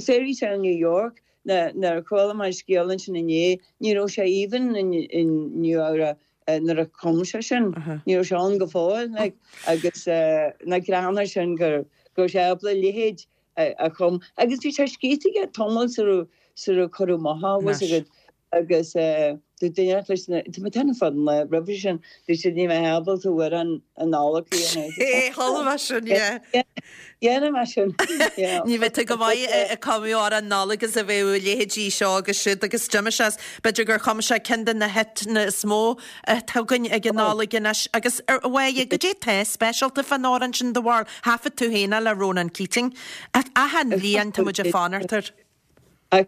Speaker 8: Fairy Tale New York na na chuala mé scéal ansin inné ní raibh sé even in in New Eabhrac nuair a chum sé sin ní raibh sé ann go fóill like, agus uh, na greanna sin gur gur sé ábalta leithéid a chum agus bhí sé scríte aige tamall sar sar cuireadh amach was agat agus du duine leis na tá mé ten fan le roimhe sin du siad ní mé ábalta bhfuil an an Nollag
Speaker 1: É chuala sin yeah.
Speaker 8: Dhéana mar sin.
Speaker 1: Ní bheith tú go maith ag cumadh amhrán Nollag agus a bheith leithéidí seo agus siúd agus d'imigh sé b'fhéidir gur chum sé ceann de na hiteanna is mó atá againn ag an Nollaig anois agus ar bhhaidh goidé tá speisialta fan amhrán sin do bharúil thaifead tú féin le Ronan Keating. Achan bhliain tá muid ag fanacht air.
Speaker 8: A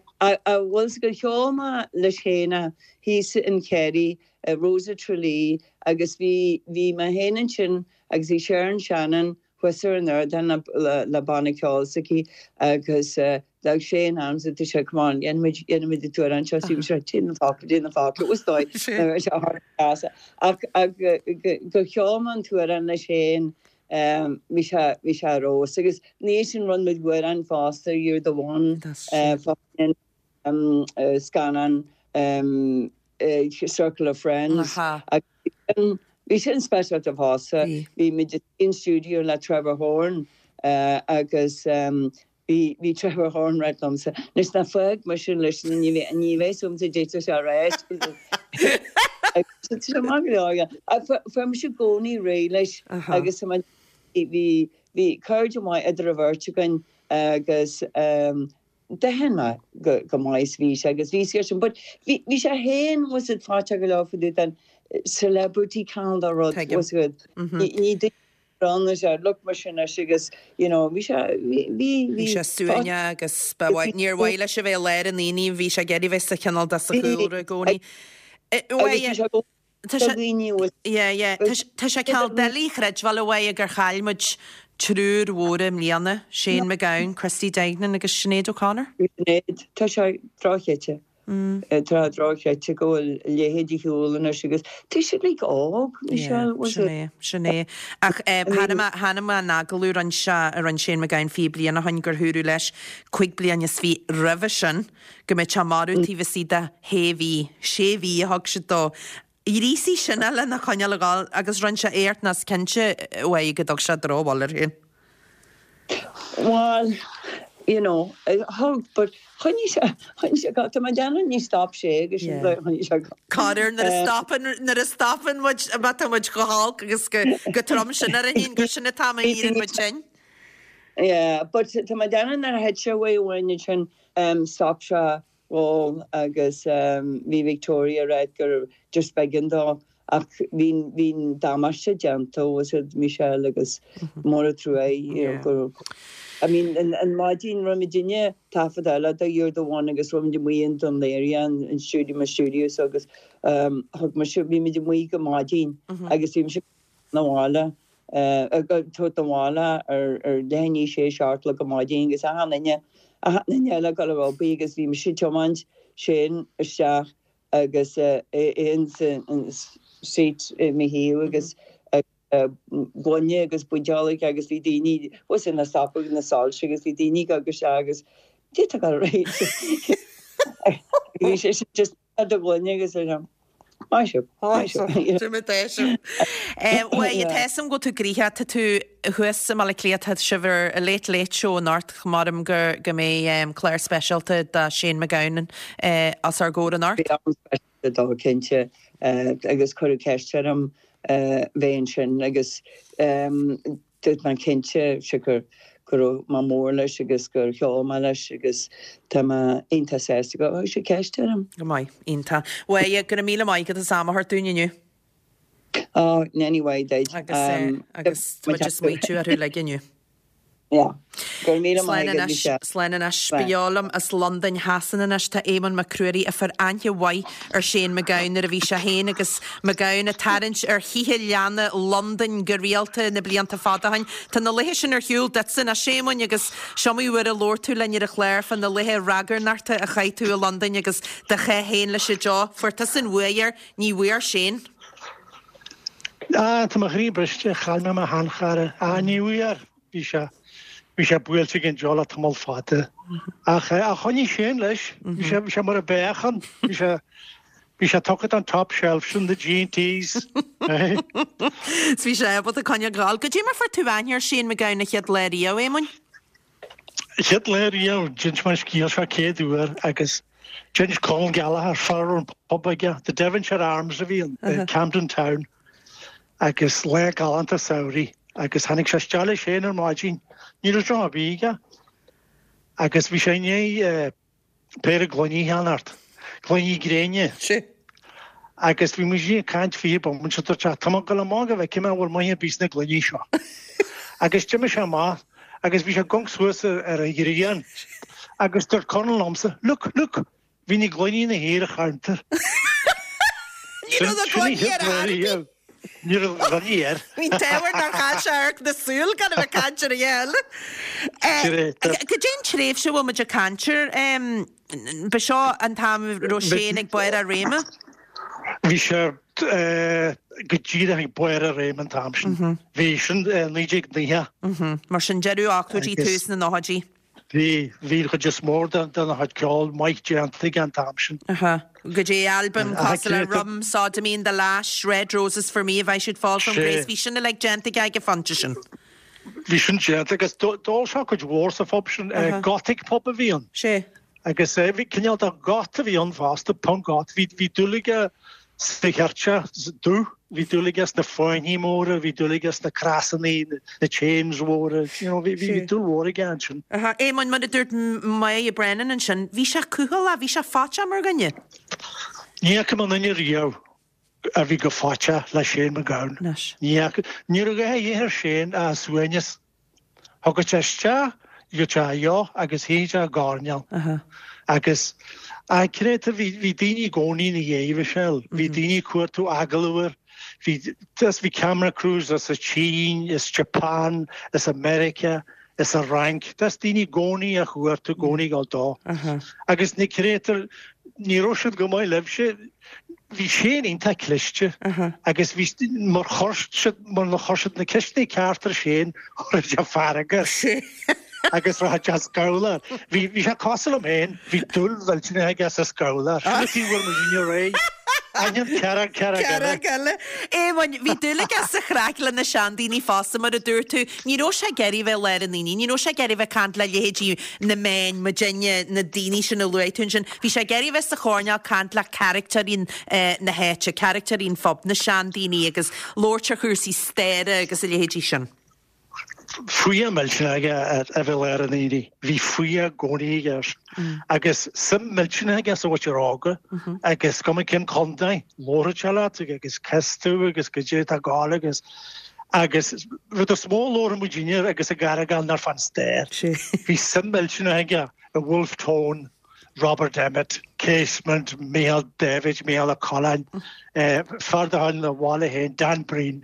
Speaker 8: bhfuil go cheol mé leis chéanna thíos in Kerry, Rose of Tralee agus bhí bhí mé féin ansin agus bhí Sharon Shannon thuas ar an ardán le le banna ceoil s'aici agus d'fhág Shane arms tá sé come on dhéanfaimid dhéanfaimid an t-amhrán seo sí sé déan na focla déan na focla was dóigh sé thar ach ach gur cheol mé an t-amhrán le Shane bhí sé bhí sé ar fheabhas agus ní sin rinne muid amhrán fosta You're the One scannán Circle of Friends agus bhí sin speisialta fosta. Bhí muid in studio le Trevor Horn agus bhí bhí Trevor Horn ag ráit liomsa anois ná fág mise leis ní bheidh ní bheidh súmsa déite sé arís. Maith go leor fuair mise i gcónaí réidh leis agus bhí bhí cairde maith idir an bheirt againn agus d'aithin mé go go maith is bhí sé agus bhí sé sin but bhí bhí sé féin was it fáite go leor faoi den celebrity cineál de rud was good. Ní duine ranna sé look mar sin leis agus you know bhí sé bhí bhí
Speaker 1: Bhí sé suaimhneach agus ba mhaith níor mhaith leis a bheith i lár an aonaigh bhí sé ag iarraidh bheith sa chineál de sa chúlra i gcónaí.
Speaker 8: Agus bhí sé go
Speaker 1: Tá sé Yeah, yeah. Tá sé cineál doiligh a chreidbheáil a Mháire gur chaill muid triúr mhór i mbliana, Shane MacGowan, Christy Duignan agus Sinéad O'Connor.
Speaker 8: Sinéad, tá sé drochchreidte. Tá drochchreidte go bhfuil a leithéid ar shiúl anois agus tá siad like óg, Michelle, was
Speaker 1: Sin
Speaker 8: it?
Speaker 1: é, sin é. Ach chonaic mé, chonaic mé an agallamh a rinne sé, a rinne Shane MacGowan fiche bliain ó shin gur dhúradh leis cúig bliana is fiche roimhe sin go mbeadh sé marbh taobh istigh de shé mhí, sé mhí a thug siad dó. Ghríosaigh sin é lena choinneáil ag gabháil agus rinne sé éacht nó is cinnte uaidh go dtug sé drochbhail air féin.
Speaker 8: Well, you know, thug, but choinnigh sé, choinnigh sé go, tá mé ag déanamh ní stop sé agus sin
Speaker 1: Yeah.
Speaker 8: choinnigh sé go.
Speaker 1: Corruair nuair a stopann, nuair a stopann muid, má tá muid chomh holc agus go, go trom sin ar an fhéin, gur sin an t-am a éiríonn muid tinn.
Speaker 8: Yeah, but tá mé ag déanamh nuair a thit sé uaidh amháin ansin, um, stop sé ól agus bhí Victoria ag ráit gur just b'éigean dó ach bhí bhí an damáiste déanta was it Michelle agus mór an trua you know go I mean an an maidin raibh muidinne taifead eile do You're the One agus raibh muid amuigh in Dún Laoghaire an an studio mo studio so agus um thug mise bhí muid amuigh go maidin agus bhí mise na bhaile tabhairt na bhaile ar ar leath i ndiaidh sé seacht le go maidin agus achan duine achan duine eile ag dul ar obair agus bhí mise ag tiomáint Shane isteach agus é in seat i mo thaobh agus gloine agus buidéal aige agus bhí daoine was ina stopadh na soilse agus bhí daoine ag gabháil isteach agus Dé tá go réidh. Bhí sé just do ghloine agus é Maith sibh, maith sibh.
Speaker 1: Tá mé déisiú. Bhuel, tá 'fhios a'm go bhfuil tú gnoitheach, tá tú thuas i mBaile Átha Cliath, tá sibh ar an Late Late Show anocht, maram go go mbeidh clár speisialta do Shane MacGowan os ár gcomhair anocht.
Speaker 8: Beidh am speisialta dó cinnte agus cuireadh ceist orm bheith ansin agus dúirt mé cinnte siocair go raibh mé mór leis agus gur cheol mé leis agus tá mé iontach sásta go thug sé ceist orm.
Speaker 1: Go maith, iontach. Bhuel, go raibh míle maith agat as am a thabhairt dúinn inniu.
Speaker 8: Oh, anyway, duit.
Speaker 1: Agus agus tá muid ag smaoitiú orthu uilig inniu.
Speaker 8: Yeah. Go raibh míle
Speaker 1: Slán
Speaker 8: maith agat,
Speaker 1: anois,
Speaker 8: Michelle.
Speaker 1: slán anois. Beo liom as Londain Shasana anois tá Éamonn Mac Ruairí a fuair aithne mhaith ar Shane MacGowan nuair a bhí sé féin agus MacGowan ag tarraingt ar thithe leanna Londain go rialta na blianta fada ó shin. Tá na laethe sin ar shiúl duitse anois, Éamoinn, agus is iomaí uair a labhair tú linn ar an chlár fá na laethe ragairneachta a chaith tú i Londain agus do chá féin leis an deoch. Fuair tusa an bhuaidh air, ní bhfuair Shane.
Speaker 9: Ah, tá mo chroí briste, chaill mé mo sheanchara. Ah, ní bhfuair. Bhí sé bhí sé buailte ag an deoch le tamall fada. Ach ach choinnigh Shane leis, bhí sé bhí sé mar a bheadh an bhí sé bhí sé tugtha an top shelf sin the G&Ts.
Speaker 1: 'S bhí sé ábalta coinneáil ag gabháil. Goidé mar fuair tú aithne ar Shane MacGowan an chéad lá riamh, Éamoinn?
Speaker 9: Chéad lá riamh d'inis mé an scéal seo céad uair agus d'inis Conal Gallagher fear an pub aige, the Devonshire Arms a bhí in uh, Camden Town agus lá galánta samhraidh agus tháinig sé isteach leis féin ar maidin, ní raibh drom ar bith aige agus bhí sé i ndiaidh péire gloiní a cheannacht, gloiní gréine. Agus bhí muid ag caint fiche bomaite dúirt sé, Tá mé ag dul amach go bhfeicfidh mé an bhfuil maith ar bith sna gloiní seo. Agus d'imigh sé amach agus bhí sé ag amharc suas ar an ghrian agus dúirt Conal liomsa, Look, look, bhí na gloiní ina shuí ar an chuntar.
Speaker 1: Ní raibh na gloiní ar ar bith.
Speaker 9: Ní raibh duine air.
Speaker 1: Bhí an t-ádh air nár chaill sé amharc na súl gan a bheith ag caint ar a dhath eile. Cad é an tréimhse a bhfuil muid ag caint air? Ba seo an t-am a raibh Shane ag barr a réime?
Speaker 9: Bhí sé go díreach ag barr a réime an t-am sin. Bhí sin naoi déag nócha.
Speaker 1: Mar sin deireadh ochtóidí, tús na nóchaidí.
Speaker 9: Bhí, bhí an chuid is mó de de chuid ceol maith déanta aige an t-am sin.
Speaker 1: Aha. Go dtí albaim cosúil le Rum, Sodomy and the Lash, Red Roses for Me, If I Should Fall from Grace, bhí sin uilig déanta aige ag an phointe sin.
Speaker 9: Bhí sin déanta agus d'ól sé cuid mhór sa phub sin, Gothic pub a bhí ann.
Speaker 1: Sé.
Speaker 9: Agus bhí cineál de goth a bhí ann fosta, punk goth. Bhí, bhí dúil aige sa cheirteach dubh, bhí dúil aige sna fáinní móra, bhí dúil aige sna crosanna, na chains mhóra, you know, bhí, bhí dúil mhór aige ansin.
Speaker 1: Aha. Éamonn, mar a dúirt Máire Brennan ansin, bhí sé cúthaileach, bhí sé faiteach mar dhuine.
Speaker 9: Ní fhaca mé aon duine riamh a bhí chomh faiteach le Shane MacGowan.
Speaker 1: Anois.
Speaker 9: Ní fhaca, ní raibh a dhath a dhíth ar Shane ach suaimhneas. Thigeadh sé isteach, gheobhadh sé a dheoch agus shuíodh sé i gcoirnéal. Agus creid bhí bhí daoine i gcónaí ina dhiaidh, Michelle. Bhí daoine ag cuartú agallamh air. Bhí just bhí camera crews as an tSín, as Japan, as America, as an Fhrainc. Just daoine i gcónaí á chuartú, i gcónaí ag dul dó. Agus ní creidtear, ní raibh siad go maith libhse. Bhí Shane iontach cliste agus bhí mar chuir siad mar na chuir siad na ceisteanna ceart ar Shane chuir sé fearg air. Agus rachadh sé scamhla. Bhí bhí sé cosúil liom féin, bhí dúil mhillteanach aige sa scamhla. Sin an taobh a bhfuil muidinne réidh. Ainm cearc cearc eile.
Speaker 1: Cearc eile. Éamonn, bhí dúil aige sa chraic le na seandaoine fosta, mar a dúirt tú. Ní raibh sé ag iarraidh bheith i lár na ndaoine, ní raibh sé ag iarraidh bheith ag caint le leithéidí na meáin, muidinne, na daoine sin a luaigh tú ansin. Bhí sé ag iarraidh bheith sa choirnéal ag caint le caractéirí na háite, caractéirí an phub, na seandaoine agus labhairt ar chúrsaí staire agus a leithéidí sin.
Speaker 9: Fuath millteanach aige ar a bheith i lár na ndaoine. Bhí fuath i gcónaí aige air. Agus suim millteanach aige sa mhuintir óga agus cuma cén contae, labharfadh sé leat agus cá as tú agus goidé atá ag gabháil agus agus rud is mó a labhradh muidinne agus ag argóint ná fán stair. Bhí suim millteanach aige i Wolfe Tone, Robert Emmet, Casement, Micheál Davitt, Micheál Ó Coileáin, fear de chuid an bhaile féin, Dan Breen.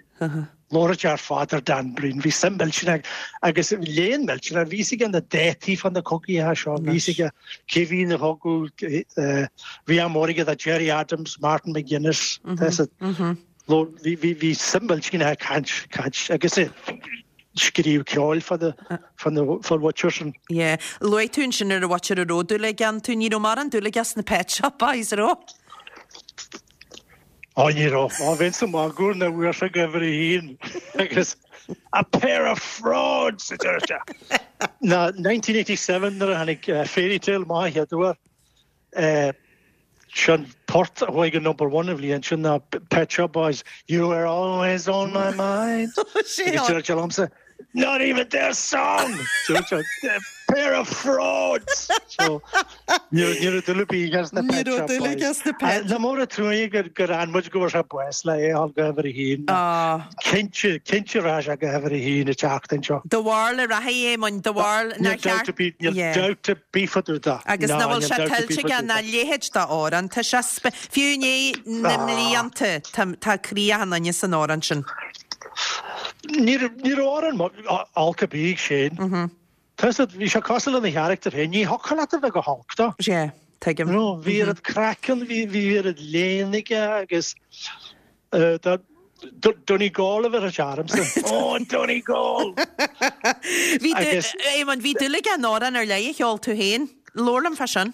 Speaker 9: Labhradh sé ar fad ar Dan Breen. Bhí suim millteanach agus léann millteanach. Bhí fhios aige na dátaí fá na cogaithe seo. Bhí fhios aige cé bhí ina chogadh. Bhí am mór aige do Gerry Adams, Martin McGuinness. Bhí bhí suim millteanach ag caint, caint agus scríobh ceoil fá na fá na fán mhuintir sin.
Speaker 1: Yeah. Luaigh tú ansin ar an mhuintir a raibh dúil aige iontu. Ní raibh mórán dúil aige sna Pet Shop Boys, an raibh?
Speaker 9: Ó ní raibh. Ó bhínn sa magadh nuair a bhfuair sé go uimhir a haon agus a pair of frauds a deir sé. Ná nineteen eighty seven nuair a tháinig Fairy Tale amach an chéad uair, sin port a chuaigh go number one an bhliain sin ná Pet Shop Boys, You were always on my mind. Agus deir sé liomsa, Not even their song! Deir sé, A pair of frauds! So, ní raibh dúil ar bith aige sna Pet Shop Boys. Nach mór an truaighe gur gur fhan muid go bhfuair sé bás le é a dhul go uimhir a haon. Cinnte, cinnte rachadh sé go uimhir a haon an tseachtain seo.
Speaker 1: Do bharúil an rachaidh, Éamoinn, do bharúil
Speaker 9: nár cheart. Níl dabht ar bith fá dtaobh de.
Speaker 1: Agus nach bhfuil sé tuillte aige ná a leithéid d'amhrán. Tá sé spe, fiú i ndiaidh na mblianta, tá, tá croí achan duine san amhrán sin.
Speaker 9: Ní raibh, ní raibh amhrán olc ar bith ag Shane. Tá fhios agat, bhí sé cosúil lena charachtar féin, ní thiocfadh leat a bheith go holc dó.
Speaker 1: Sea, tuigim.
Speaker 9: You know, bhí oiread craiceann, bhí, bhí oiread léann aige agus tá, Donegal a bheir sé ormsa. Ó, Donegal!
Speaker 1: Bhí, Éamonn, bhí dúil aige in amhrán ar leith a cheol tú féin. Labhair liom fá sin.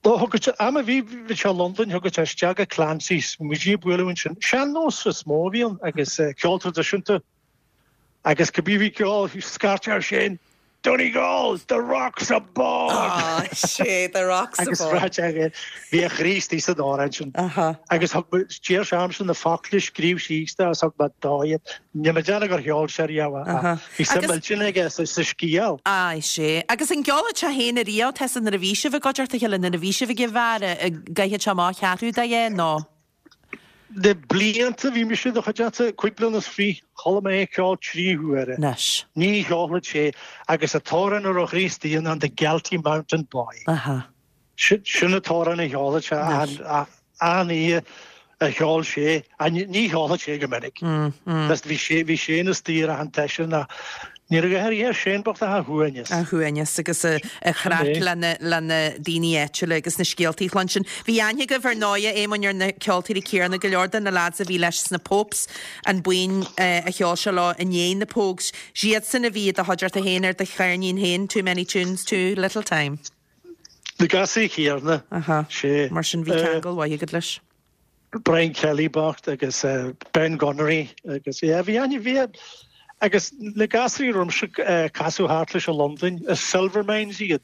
Speaker 9: Ó, thug sé, am a bhí, bhí sé i Londain, thug sé isteach go Clancy's, muid ag bualadh ansin. Sean-nós is mó a bhí ann agus ceol traidisiúnta. Agus cibé bhí ceol, scairt ar Shane, Donegal, the rock's aboard!
Speaker 1: Á, sé, the rock's
Speaker 9: Agus
Speaker 1: aboard.
Speaker 9: rá sé, bhí a chroí istigh san amhrán sin.
Speaker 1: Aha.
Speaker 9: Agus thug mé, deir sé ormsa na focla a scríobh síos dó agus thug mé dó iad. Níl mé ag déanamh gur cheol sé riamh ach
Speaker 1: Aha.
Speaker 9: bhí suim
Speaker 1: Agus-
Speaker 9: millteanach aige sa, sa scéal.
Speaker 1: Á, sé. Agus an gceolfadh sé féin ariamh, tusa nuair a bhí sibh i gcuideachta a chéile, nuair a bhí sibh ag an bheár, an gcaithfeadh sé amach ceathrú de é nó?
Speaker 9: Na blianta bhí mise i do chuideachta, cúig bliana is fiche, chuala mé é ag ceol trí huaire.
Speaker 1: Anois.
Speaker 9: Ní cheolfadh sé agus an t-amhrán a raibh a chroí istigh ann ná The Galtee Mountain Boy.
Speaker 1: Aha.
Speaker 9: Sin, sin an t-amhrán a cheolfadh sé
Speaker 1: Anois.
Speaker 9: achan oíche a cheol sé, ní cheolfadh sé go minic. Bhí sé bhí sé ina stiúir an t-eisean ach ní raibh go háirithe ar Shane bocht ach a shuaimhneas.
Speaker 1: A shuaimhneas agus a chraic le na daoine áitiúla agus na scéaltaí a chluinstin. Bhí aithne agaibh ar ndóigh, a Éamoinn, ar na ceoltóirí céanna, go leor de na lads a bhí leis sna Popes, an buíon a cheol sé leo i ndiaidh na Pogues. Siadsan a bhí i do chuideachta féin ar do cheirnín féin, Too Many Tunes, Too Little Time.
Speaker 9: Na gasúir chéanna.
Speaker 1: Aha.
Speaker 9: Sé.
Speaker 1: Mar sin bhí ceangal mhaith agat leis.
Speaker 9: Brian Kelly bocht agus Ben Gunnery agus yeah bhí aithne bhí agus na gasúir romse casadh thart leis i Londain, is Silvermines iad.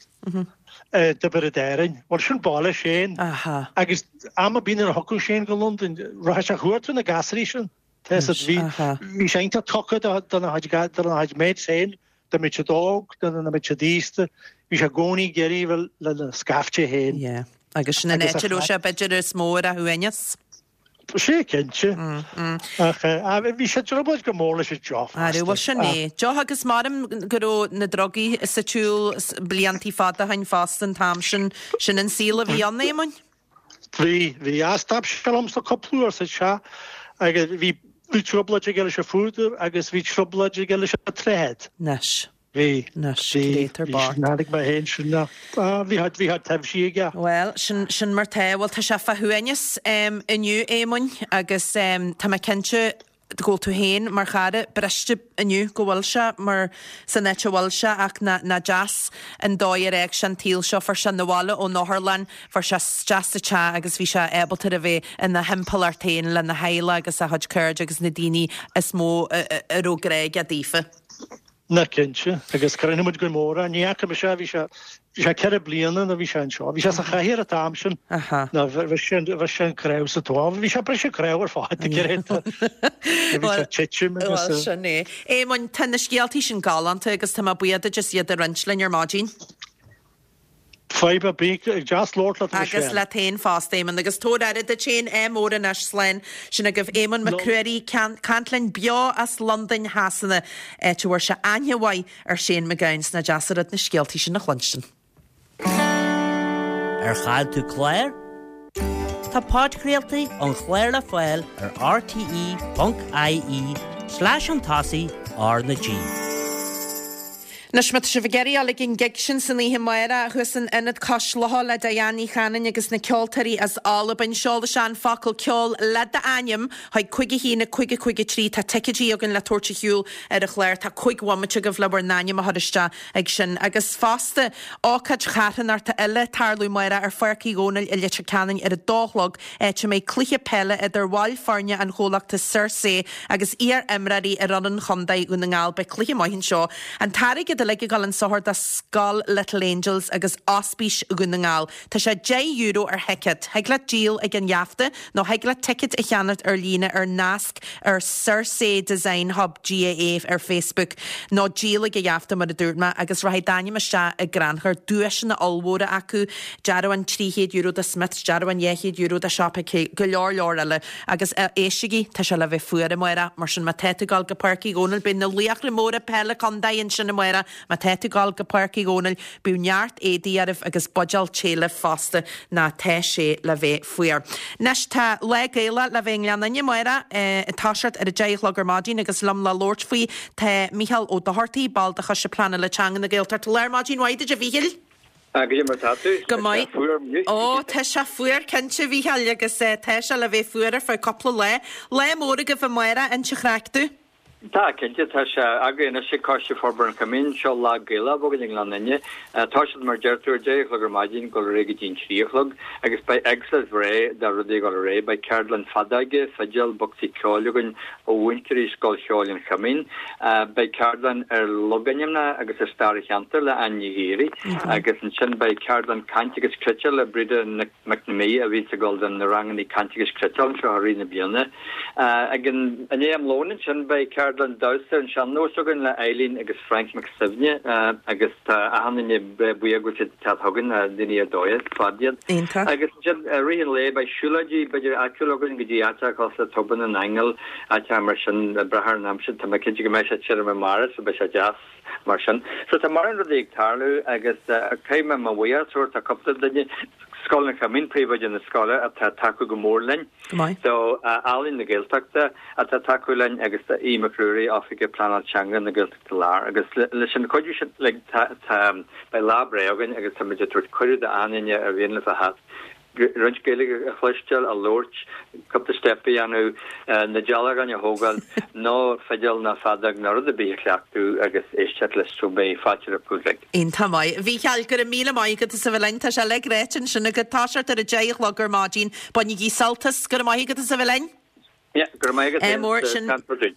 Speaker 9: I dTiobraid Árann. Bhuel sin baile Shane.
Speaker 1: Aha.
Speaker 9: Agus am ar bith nuair a thiocfadh Shane go Londain, rachadh sé a chuartú na gasúirí sin. Tá a fhios agat, bhí bhí sé iontach tugtha do do na do na chuid mates féin. Dá mbeadh siad óg, dá mbeadh siad aosta, bhí sé i gcónaí ag iarraidh bheith lena scaifte féin.
Speaker 1: Yeah. Agus sin an áit a raibh sé b'fhéidir is mó ar a shuaimhneas.
Speaker 9: Sé cinnte. Ach bhí sé i dtrioblóid go mór leis an deoch
Speaker 1: fosta. Bhuel sin é. Deoch agus maram go raibh na drugaí sa tsiúl bliantaí fada ó shin fosta an t-am sin. Sin an saol a bhí ann, Éamoinn?
Speaker 9: Bhí, bhí. Stop sé liomsa cúpla uair sa teach agus bhí Bhí trioblóid aige leis an phúdar agus bhí trioblóid aige leis an tréad.
Speaker 1: Anois.
Speaker 9: Bhí.
Speaker 1: Anois, cibé
Speaker 9: Bhí. Tháinig mé féin sin ach bhí bhí taibhsí aige.
Speaker 1: Bhuel, sin sin mar tá. Bhuel, tá sé fá shuaimhneas inniu, Éamoinn, agus tá mé cinnte go bhfuil tú féin mar chara briste inniu go bhfuil sé mar san áit a bhfuil sé ach nach deas an dóigh ar fhág sé an tsaol seo. Fuair sé 'na bhaile ón otharlann, fuair sé isteach sa teach agus bhí sé ábalta a bheith ina thimpeallacht féin lena theaghlach agus a chuid cairde agus na daoine is mó a raibh grá aige daofa.
Speaker 9: Ná cinnte, agus cronaigh muid go mór é. Ní fhaca mise é, bhí sé, bhí sé ceithre bliana nuair a bhí sé anseo. Bhí sé sa chathaoir an t-am sin. Ná bhí sé, bhí sé an cnámh sa tóin. Bhí sé briseadh cnámh ar fad, cinnte. Bhí sé titim agus.
Speaker 1: Bhuel, sin é. Éamoinn, tá na scéaltaí sin galánta agus tá mé buíoch duit as iad a roinnt linn ar maidin.
Speaker 9: Fadhb ar bith, deas labhairt leat
Speaker 1: Agus
Speaker 9: Michelle.
Speaker 1: leat féin fosta, Éamonn. Agus tabhair aire duit féin, ádh mór anois, slán. Sin agaibh Éamonn Mac Ruairí, caint linn beo as Londain Shasana, áit a bhfuair sé aithne mhaith ar Shane MacGowan. 'S nach deas an rud na scéaltaí sin a chluinstin.
Speaker 10: Ar chaill tú clár? Tá podchraoltaí an chláir le fáil ar rte ponc ie slash an tosaigh R na G.
Speaker 1: Anois má tá sibh ag iarraidh dul ag an gig sin san oíche amárach thuas in Ionad Cois Locha le Diane Ní Chanainn agus na ceoltóirí as Albain, seol isteach an focal ceol le d'ainm chuig cúig a haon a cúig a cúig a trí. Tá ticéidí againn le tabhairt ar shiúl ar an chlár. Tá cúig bhomaite agaibh le bhur n-ainm a chur isteach ag sin. Agus fosta, ócáid charthanachta eile ag tarlú amárach ar Pháirc Uí Dhónaill i Leitir Ceanainn ar a dó a chlog, áit a mbeidh cluiche peile idir bhaill foirne an chomhlachta Circé agus iar-imreoirí ar fhoireann Chontae Dhún na nGall. Beidh cluiche maith anseo. An t-airgead uilig ag dul chun sochair do Scoil Little Angels agus Ospís Dhún na nGall. Tá sé deich euro ar thicéad. Thig leat díol ag an gheafta nó thig leat ticéad a cheannacht ar líne ar nasc ar Circé Design Hub GAA ar Facebook nó díol ag an gheafta mar a dúirt mé agus rachaidh d'ainm isteach i gcrannchur. Duaiseanna ollmhóra acu, dearbhán trí chéad euro do Smiths, dearbhán dhá chéad euro do Siopa K, go leor leor eile. Agus éistigí, tá sé le bheith fuar amárach, mar sin má tá tú ag dul go Páirc Uí Dhónaill, beidh na laochra móra peile contae ansin amárach, má tá tú ag dul go Páirc Uí Dhónaill, bíodh neart éadaí oraibh agus buidéal tae libh fosta, ná tá sé le bheith fuar. Anois tá Lá Gaelach le bheith i nGleann Fhinne amárach, ag toiseacht ar a deich a chlog ar maidin agus liom le labhairt faoi tá Mícheál Ó Dochartaigh, ball de Choiste Pleanála Teanga na Gaeltachta. Lá ar maidin mhaith duit a Mhíchíl!
Speaker 11: Ah, goidé mar tá tú?
Speaker 1: Go
Speaker 11: Tá sé
Speaker 1: maith.
Speaker 11: fuar inniu.
Speaker 1: Ó, tá sé fuar cinnte, a Mhíchíl, agus tá sé le bheith fuar ar feadh cúpla lá. Lá mór agaibh amárach, inis an chraic domh.
Speaker 11: Tá, cinnte, tá sé againn anois ag Coiste Forbartha an Choimín. Seo Lá Gaelach againn i nGleann Fhinne. Tá siad, mar deir tú, ar deich a chlog ar maidin, dul ar aghaidh go dtí an trí a chlog, agus beidh éagsúlacht bhreá de rudaí ag dul ar aghaidh. Beidh ceardlann feadóige, fidil, bocsaí ceoil againn ó mhúinteoirí Scoil Cheoil an Choimín. Beidh ceardlann ar logainmneacha agus ar stair an cheantair le Áine Ní Ghiarraí, agus ansin beidh ceardlann cainte agus cniotála le Breda Nic McNamee a bhíonns ag dul do na ranganna cainte agus cniotála anseo i rith na bliana. Ag an i ndiaidh am lóin ansin beidh ceardlann damhsa ar an sean-nós againn le Eileen agus Frank Mac Suibhne agus tá achan duine breá buíoch go bhfuil siad ag teacht chugainn, daoine ar dóigh ar fad iad.
Speaker 1: Iontach.
Speaker 11: Agus ansin i rith an lae beidh siúlóidí b'fhéidir áitiúla againn go dtí áiteacha cosúil le Tobar na nAingeal, áiteacha mar sin, ag brath ar an aimsir. Tá mé cinnte go mbeidh sé tirim amárach so beidh sé deas mar sin. So tá mórán rudaí ag tarlú agus caithfidh mé mo bhuíochas a thabhairt do cúpla duine. Scoil an Choimín, príomhoide na scoile atá ag tacú go mór linn.
Speaker 1: Go maith.
Speaker 11: So Ealaín na Gaeltachta atá ag tacú linn agus tá Aodh Mac Ruairí, Oifigeach Pleanáil Teanga na Gaeltachta Láir. Agus leis an chuidiú sin like tá tá beidh lá breá againn agus táimid ag tabhairt cuireadh d'aon duine ar mhian leo a theacht roinnt Gaeilge a chloisteáil, a labhairt, cúpla steip a dhéanamh, na dealgáin a thógáil, nó fidil nó feadóg nó rud ar bith a chleachtadh agus éisteacht leis so beidh fáilte roimh uilig.
Speaker 1: Iontach maith. A Mhícheáil, go raibh míle maith agat as a bheith linn. Tá sé uilig ráite ansin agat. Toiseacht ar a deich a chlog ar maidin. Bainigí sult as. Go raibh maith agat as a bheith linn.
Speaker 11: Yeah, go raibh maith agat
Speaker 1: Eh, mór sin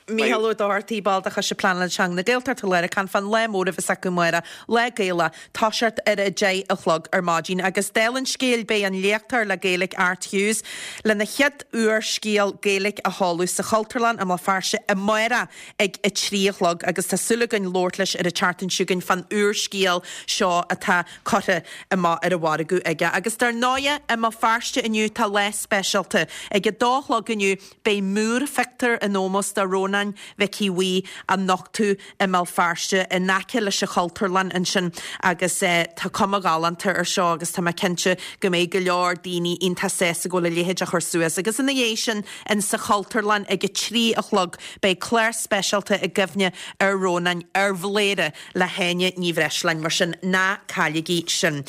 Speaker 1: Mícheál Ó Dochartaigh, ball de Choiste Pleanála Teanga na Gaeltachta Láir ag caint fán lá mór a bheas acu amárach, Lá Gaelach, toiseacht ar a deich a chlog ar maidin. Agus dála an scéil beidh an léachtóir le Gaeilge Art Hughes lena chéad úrscéal Gaeilge a sheoladh sa Chultúrlann i mBéal Feirste amárach ag a trí a chlog agus tá súil againn labhairt leis ar an tseachtain seo chugainn fán úrscéal seo atá curtha amach ar an mhargadh aige. Agus dar ndóighe i mBéal Feirste inniu tá lá speisialta. Ag a dó a chlog inniu beidh múrphictiúr in ómós do Rónán Mhicí Bhuí á nochtadh i mBéal Feirste in aice leis an Chultúrlann ansin agus eh, tá cuma ghalánta ar seo agus tá mé cinnte go mbeidh go leor daoine iontach sásta go bhfuil a leithéid á chur suas. Agus ina dhiaidh sin in sa Chultúrlann ag a trí a chlog beidh clár speisialta i gcuimhne ar Rónán ar Bhléire le hÁine Ní Bhreisleáin mar sin ná cailligí sin.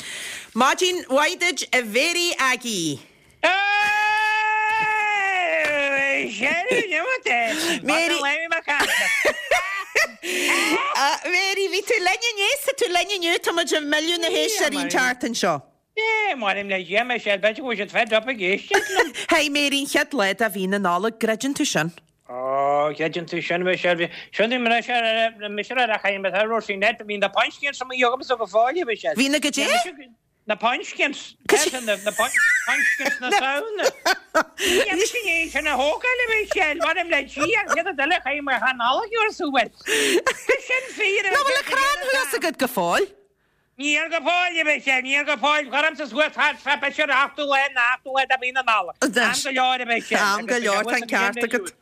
Speaker 1: Maidin mhaith duit a Mhéirí Aggie. Mary Mary bhí tú linn inné tá tú linn inniu tá muid ag milleadh na héisteoirí an tseachtain seo.
Speaker 12: É mar le dhéama sé be go siad fed up ag éisteacht liom.
Speaker 1: Hey Mary an chéad lá de mhí na Nollag, gcreideann tú sin?
Speaker 12: Ó creideann tú sin me sé sin me sé me sé a chaim a ro net bhí na pumpkins sem jogam so go fáile me sé.
Speaker 1: Bhí na go dé?
Speaker 12: Na pumpkins na na pumpkins na sauna. Sin a hógáil me sé war le chi an chéad eile chaim mar chanála sú. Sin fíor
Speaker 1: Ná bhfuil a crann thuas agat go fóill?
Speaker 12: Níl go fóill me sé níl go fóill chuam sa suas fe se achtú le achtú le a bhí na nála. Am go leor me sé.
Speaker 1: Am go leor tá ceart agat.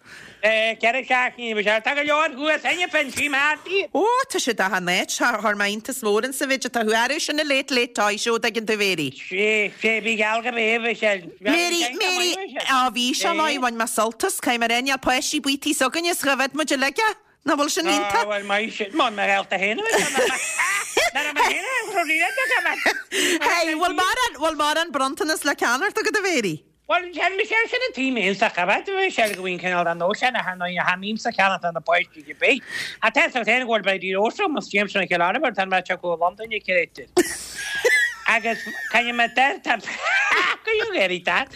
Speaker 12: Ceithre seachtaine me sé tá go leor thuas aine fen sí Marty.
Speaker 1: Ó tá sé da net thar meintas mór sa bhid tá thuú sin na late late toy show ag an Mhéirí.
Speaker 12: Sé sé bhí geall go bé sé.
Speaker 1: Mary Mary á bhí se mai bhain me sult as cai mar enya poisí buítí sogann is go bheith mu leige? Na bhfuil sin iontach?
Speaker 12: Well mai sin má me health héna.
Speaker 1: Hey, bhfuil mar bhfuil mar an bronntanas le ceannacht agat a Mhéirí?
Speaker 12: Well sin sé sin an tí sa chabat sé go bhíon cineál an nó sin a han a hamín sa ceanna an na páistí go bé. A te sa ten go bei dí óstra mas James an ceána tan me go London i céidir. Agus kan me ter go géirí tá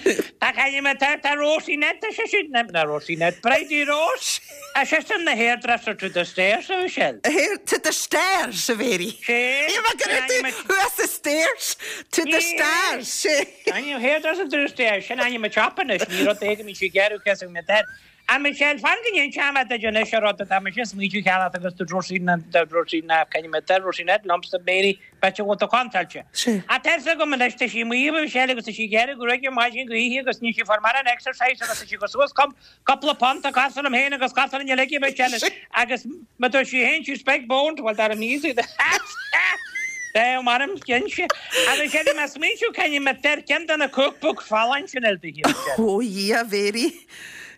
Speaker 12: Tá kan me ter tá Rosie net sé sin na Rosie net Bridie Rose a sé sin na hairdresser to the stairs a Michelle.
Speaker 1: Hair to the stairs a Mhéirí.
Speaker 12: Sé
Speaker 1: Thuas the stairs to the stairs. Sé.
Speaker 12: Ainm hairdresser to the stairs sin ainm a chopanis ní rud éige mí sé gearú ce me ter. A Michelle fan go dhéon seama de Janis rud tá me sin smíú cheana agus tú Rosie na Rosie na can me ter Rosie net lumps Mary bet you want to contact A ter go man leis sí mí Michelle agus sí gearú go reg maidin go ihe agus ní sí for mar an exercise agus sí go suas com couple punt a castle am héin agus castle in le Michelle agus ma tá sí héin sí spec bone well that am easy Dé marm cin sé agus sé me smíú can me ter ken na cookbook fallan sin el de
Speaker 1: Ó yeah, Mhéirí.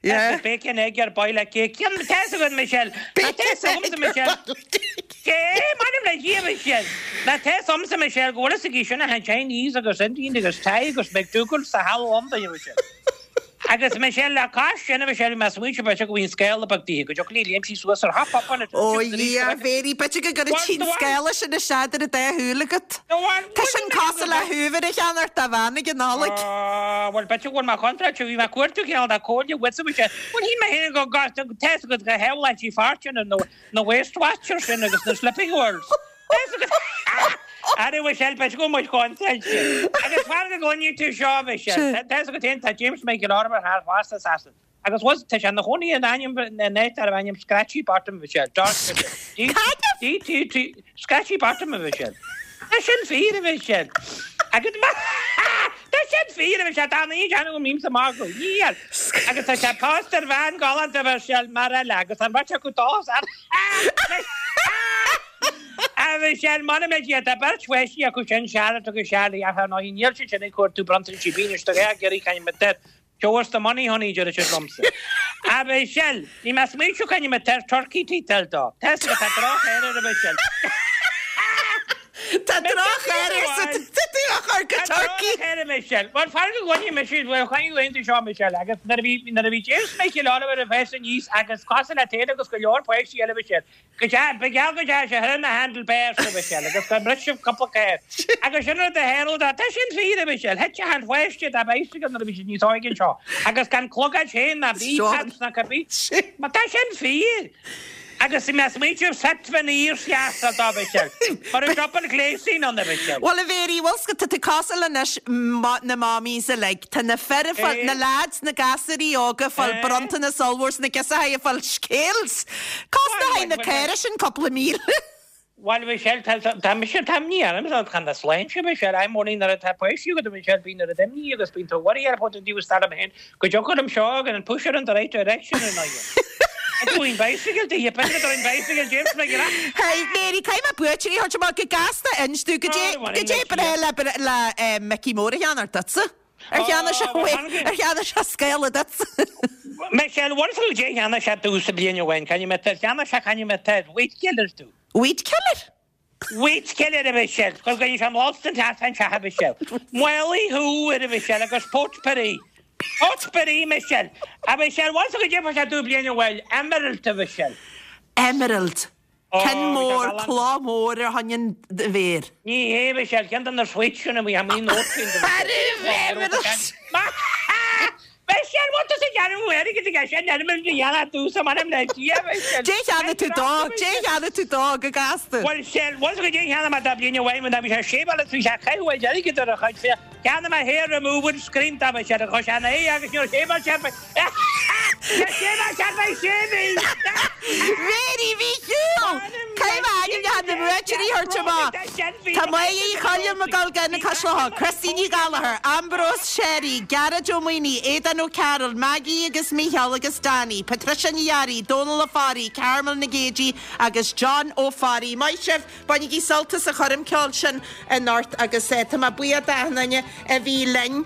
Speaker 1: Yeah.
Speaker 12: Bacon egg ar boil cake. Cén tá go Michelle. Tá Michelle. Cé mar le hí Michelle. Na tá somsa Michelle go bhfuil a sin a Chinese agus Indian agus Thai agus McDougal sa hall London Michelle. Agus Michelle le cá sin Michelle me smuoite be go bhíon scéal bag dí go joí léim sí suas ar hap up an
Speaker 1: Ó yeah, Mhéirí be go go tí scéile sin na seadir a dé thuúlagat. Tá sin casa le thuúhar a cheanart a bhena go nála.
Speaker 12: Well be bhfuil má contract bhí me cuairú ceal a cóide wit se Well hí me hin go gas test go go headline sí fortune and no no Waste Watchers sin agus na Slipping Worlds. Are we shall be go much content. Agus far go gluine tú seo Michelle. Tá go tin tá James Michael Armour har fast assassin. Agus was tá an choní an ainm na net ar ainm Scratchy Bottom Michelle. Dark D D T T Scratchy Bottom Michelle. Tá sin fíor Michelle. Agus ma Tá sin fíor Michelle tá ní an go mím sa mar go. Níl. Agus tá sé pastor van galanta Michelle mar eile agus an bhaite go dás ar. A Mhichelle, m'anam le Dia, tá beirt pháistí acu sin, Charlotte agus Charlie, ach ar ndóigh níl siad sin ag cuartú bronntanais ar bith anois, tá dhá iarraidh caint mit air. Show us the money, honey, deir siad liomsa. A Mhichelle, ní mé smaoitiú caint mit air turkey títal dó. Tá a fhios agat, tá droch-air air, a Mhichelle.
Speaker 1: Tá droch-air air sa tá tú á chur go
Speaker 12: Tá
Speaker 1: turkey.
Speaker 12: droch-air a Mhichelle. Bhuel, fan go gcoinnfidh mise, bhuel, coinnigh go tú seo, Michelle, agus nuair a bhí, nuair a bhí James Michael Oliver ag fás aníos agus cosúil leat féin agus go leor páistí eile, Michelle, Go dea, ba gheall go dea sé thar na handle bars a Mhichelle agus go mbrisfeadh cúpla carr. Agus sin rud a tharla dó. Tá sin fíor a Mhichelle. Thit achan pháiste dá bicycle nuair a bhí siad níos óige anseo. Agus gan clogaid féin ná B-tabs ná cibé. Má tá sin fíor. Agus bhí mé ag smaointiú seit bheith níor sheasa dó Mhichelle. Mar a drop an gléasín ann a Mhichelle.
Speaker 1: Bhuel a Mhéirí, bhfuil 's agat, tá tú cosúil anois na mommies uilig. Tá na fir ag fáil, na lads, na gasúirí óga ag fáil bronntanas ollmhór 's na girseachaí ag fáil scales. Cosnóidh na caora sin cúpla míle.
Speaker 12: Bhuel a Mhichelle, tá, tá mise, tá imní orm, tá chan na sláinte Michelle, I'm only nuair atá páistí agat a Mhichelle, bíonn oiread imní agus bíonn tú worry ar fud an dtaobh is dar liom féin go dtiocfaidh liom seo agus an push her in the right direction ar ndóigh. Doing bicycle do you put it on bicycle James McGrath.
Speaker 1: Hey Mary, caithfidh mé buaiteoirí a thabhairt amach go gasta inis domh goidé goidé breá le le Mickey Mór a cheannacht duitse. Ar cheannaigh sé ar cheannaigh sé scéala duitse.
Speaker 12: Michelle, bhfuil tú dé cheannaigh sé domhsa bliain ó shin, can you met cheannaigh sé can you met weed killer domh.
Speaker 1: Weed killer?
Speaker 12: Weed killer a Mhichelle, gur gcoinne sé an lobster teas an teach a Mhichelle. Maolaigh thú ar a Mhichelle agus potpourri. Potpourri Michelle. A Mhichelle, bhfuil tú go dé sé domh bliain ó shin, emerald a Mhichelle.
Speaker 1: Emerald. Ceann mór, cloch mór ar choinne an mhéir.
Speaker 12: Ní hé Michelle, ceann de na sweets sin a bhí amuigh nót féin do Mhichelle. Michelle, bhfuil tú sa dearmhú airgid aige sin emerald a dhéanamh domhsa m'anam le Dia Michelle.
Speaker 1: Dé cheannaigh tú dó, dé cheannaigh tú dó go gasta.
Speaker 12: Bhuel, Michelle, bhfuil tú go dé cheannaigh mé dá bliain ó shin, bhí sé sé bhfuil bhí sé caitheamh airgid ar a chuid fé. Cheannaigh mé hair removal cream dá Michelle, chuir sé ina aghaidh agus níor shave sé
Speaker 1: Mhéirí Mhíchíl! Caithfidh mé ainmneacha na mbuaiteoirí a thabhairt amach. Tá Máire Uí Choilm ag dul go na Caisleáin, Christy Ní Ghallchóir, Ambrose Sherry, Gearóid Ó Maonaigh, Aodán Ó Cearúil, Maggie agus Mícheál agus Danny, Patricia Ní Fhearraigh, Dónal Ó Fearraigh, Carmel Nic Géidigh agus John Ó Fearraigh. Maith sibh! Bainigí sult as an choirm ceoil sin anocht agus tá mé buíoch d'achan duine a bhí linn.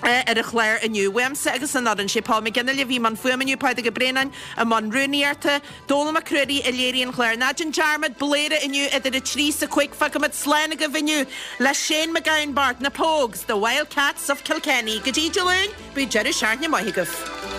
Speaker 1: ar an chlár inniu. Uaimse agus an fhoireann, sé Paul McGinley a bhí i mbun fuaime inniu, Pádraig Ó Braonáin i mbun rúnaíochta, Dónall Mac Ruairí a léirigh an clár. Ná déan dearmad, Bladhaire inniu idir a trí 's a cúig. Fágfaimid slán agaibh inniu le Shane MacGowan Bart, Na Pogues, The Wildcats of Kilkenny. Go dtí Dé Luain, bíodh deireadh seachtaine maith agaibh.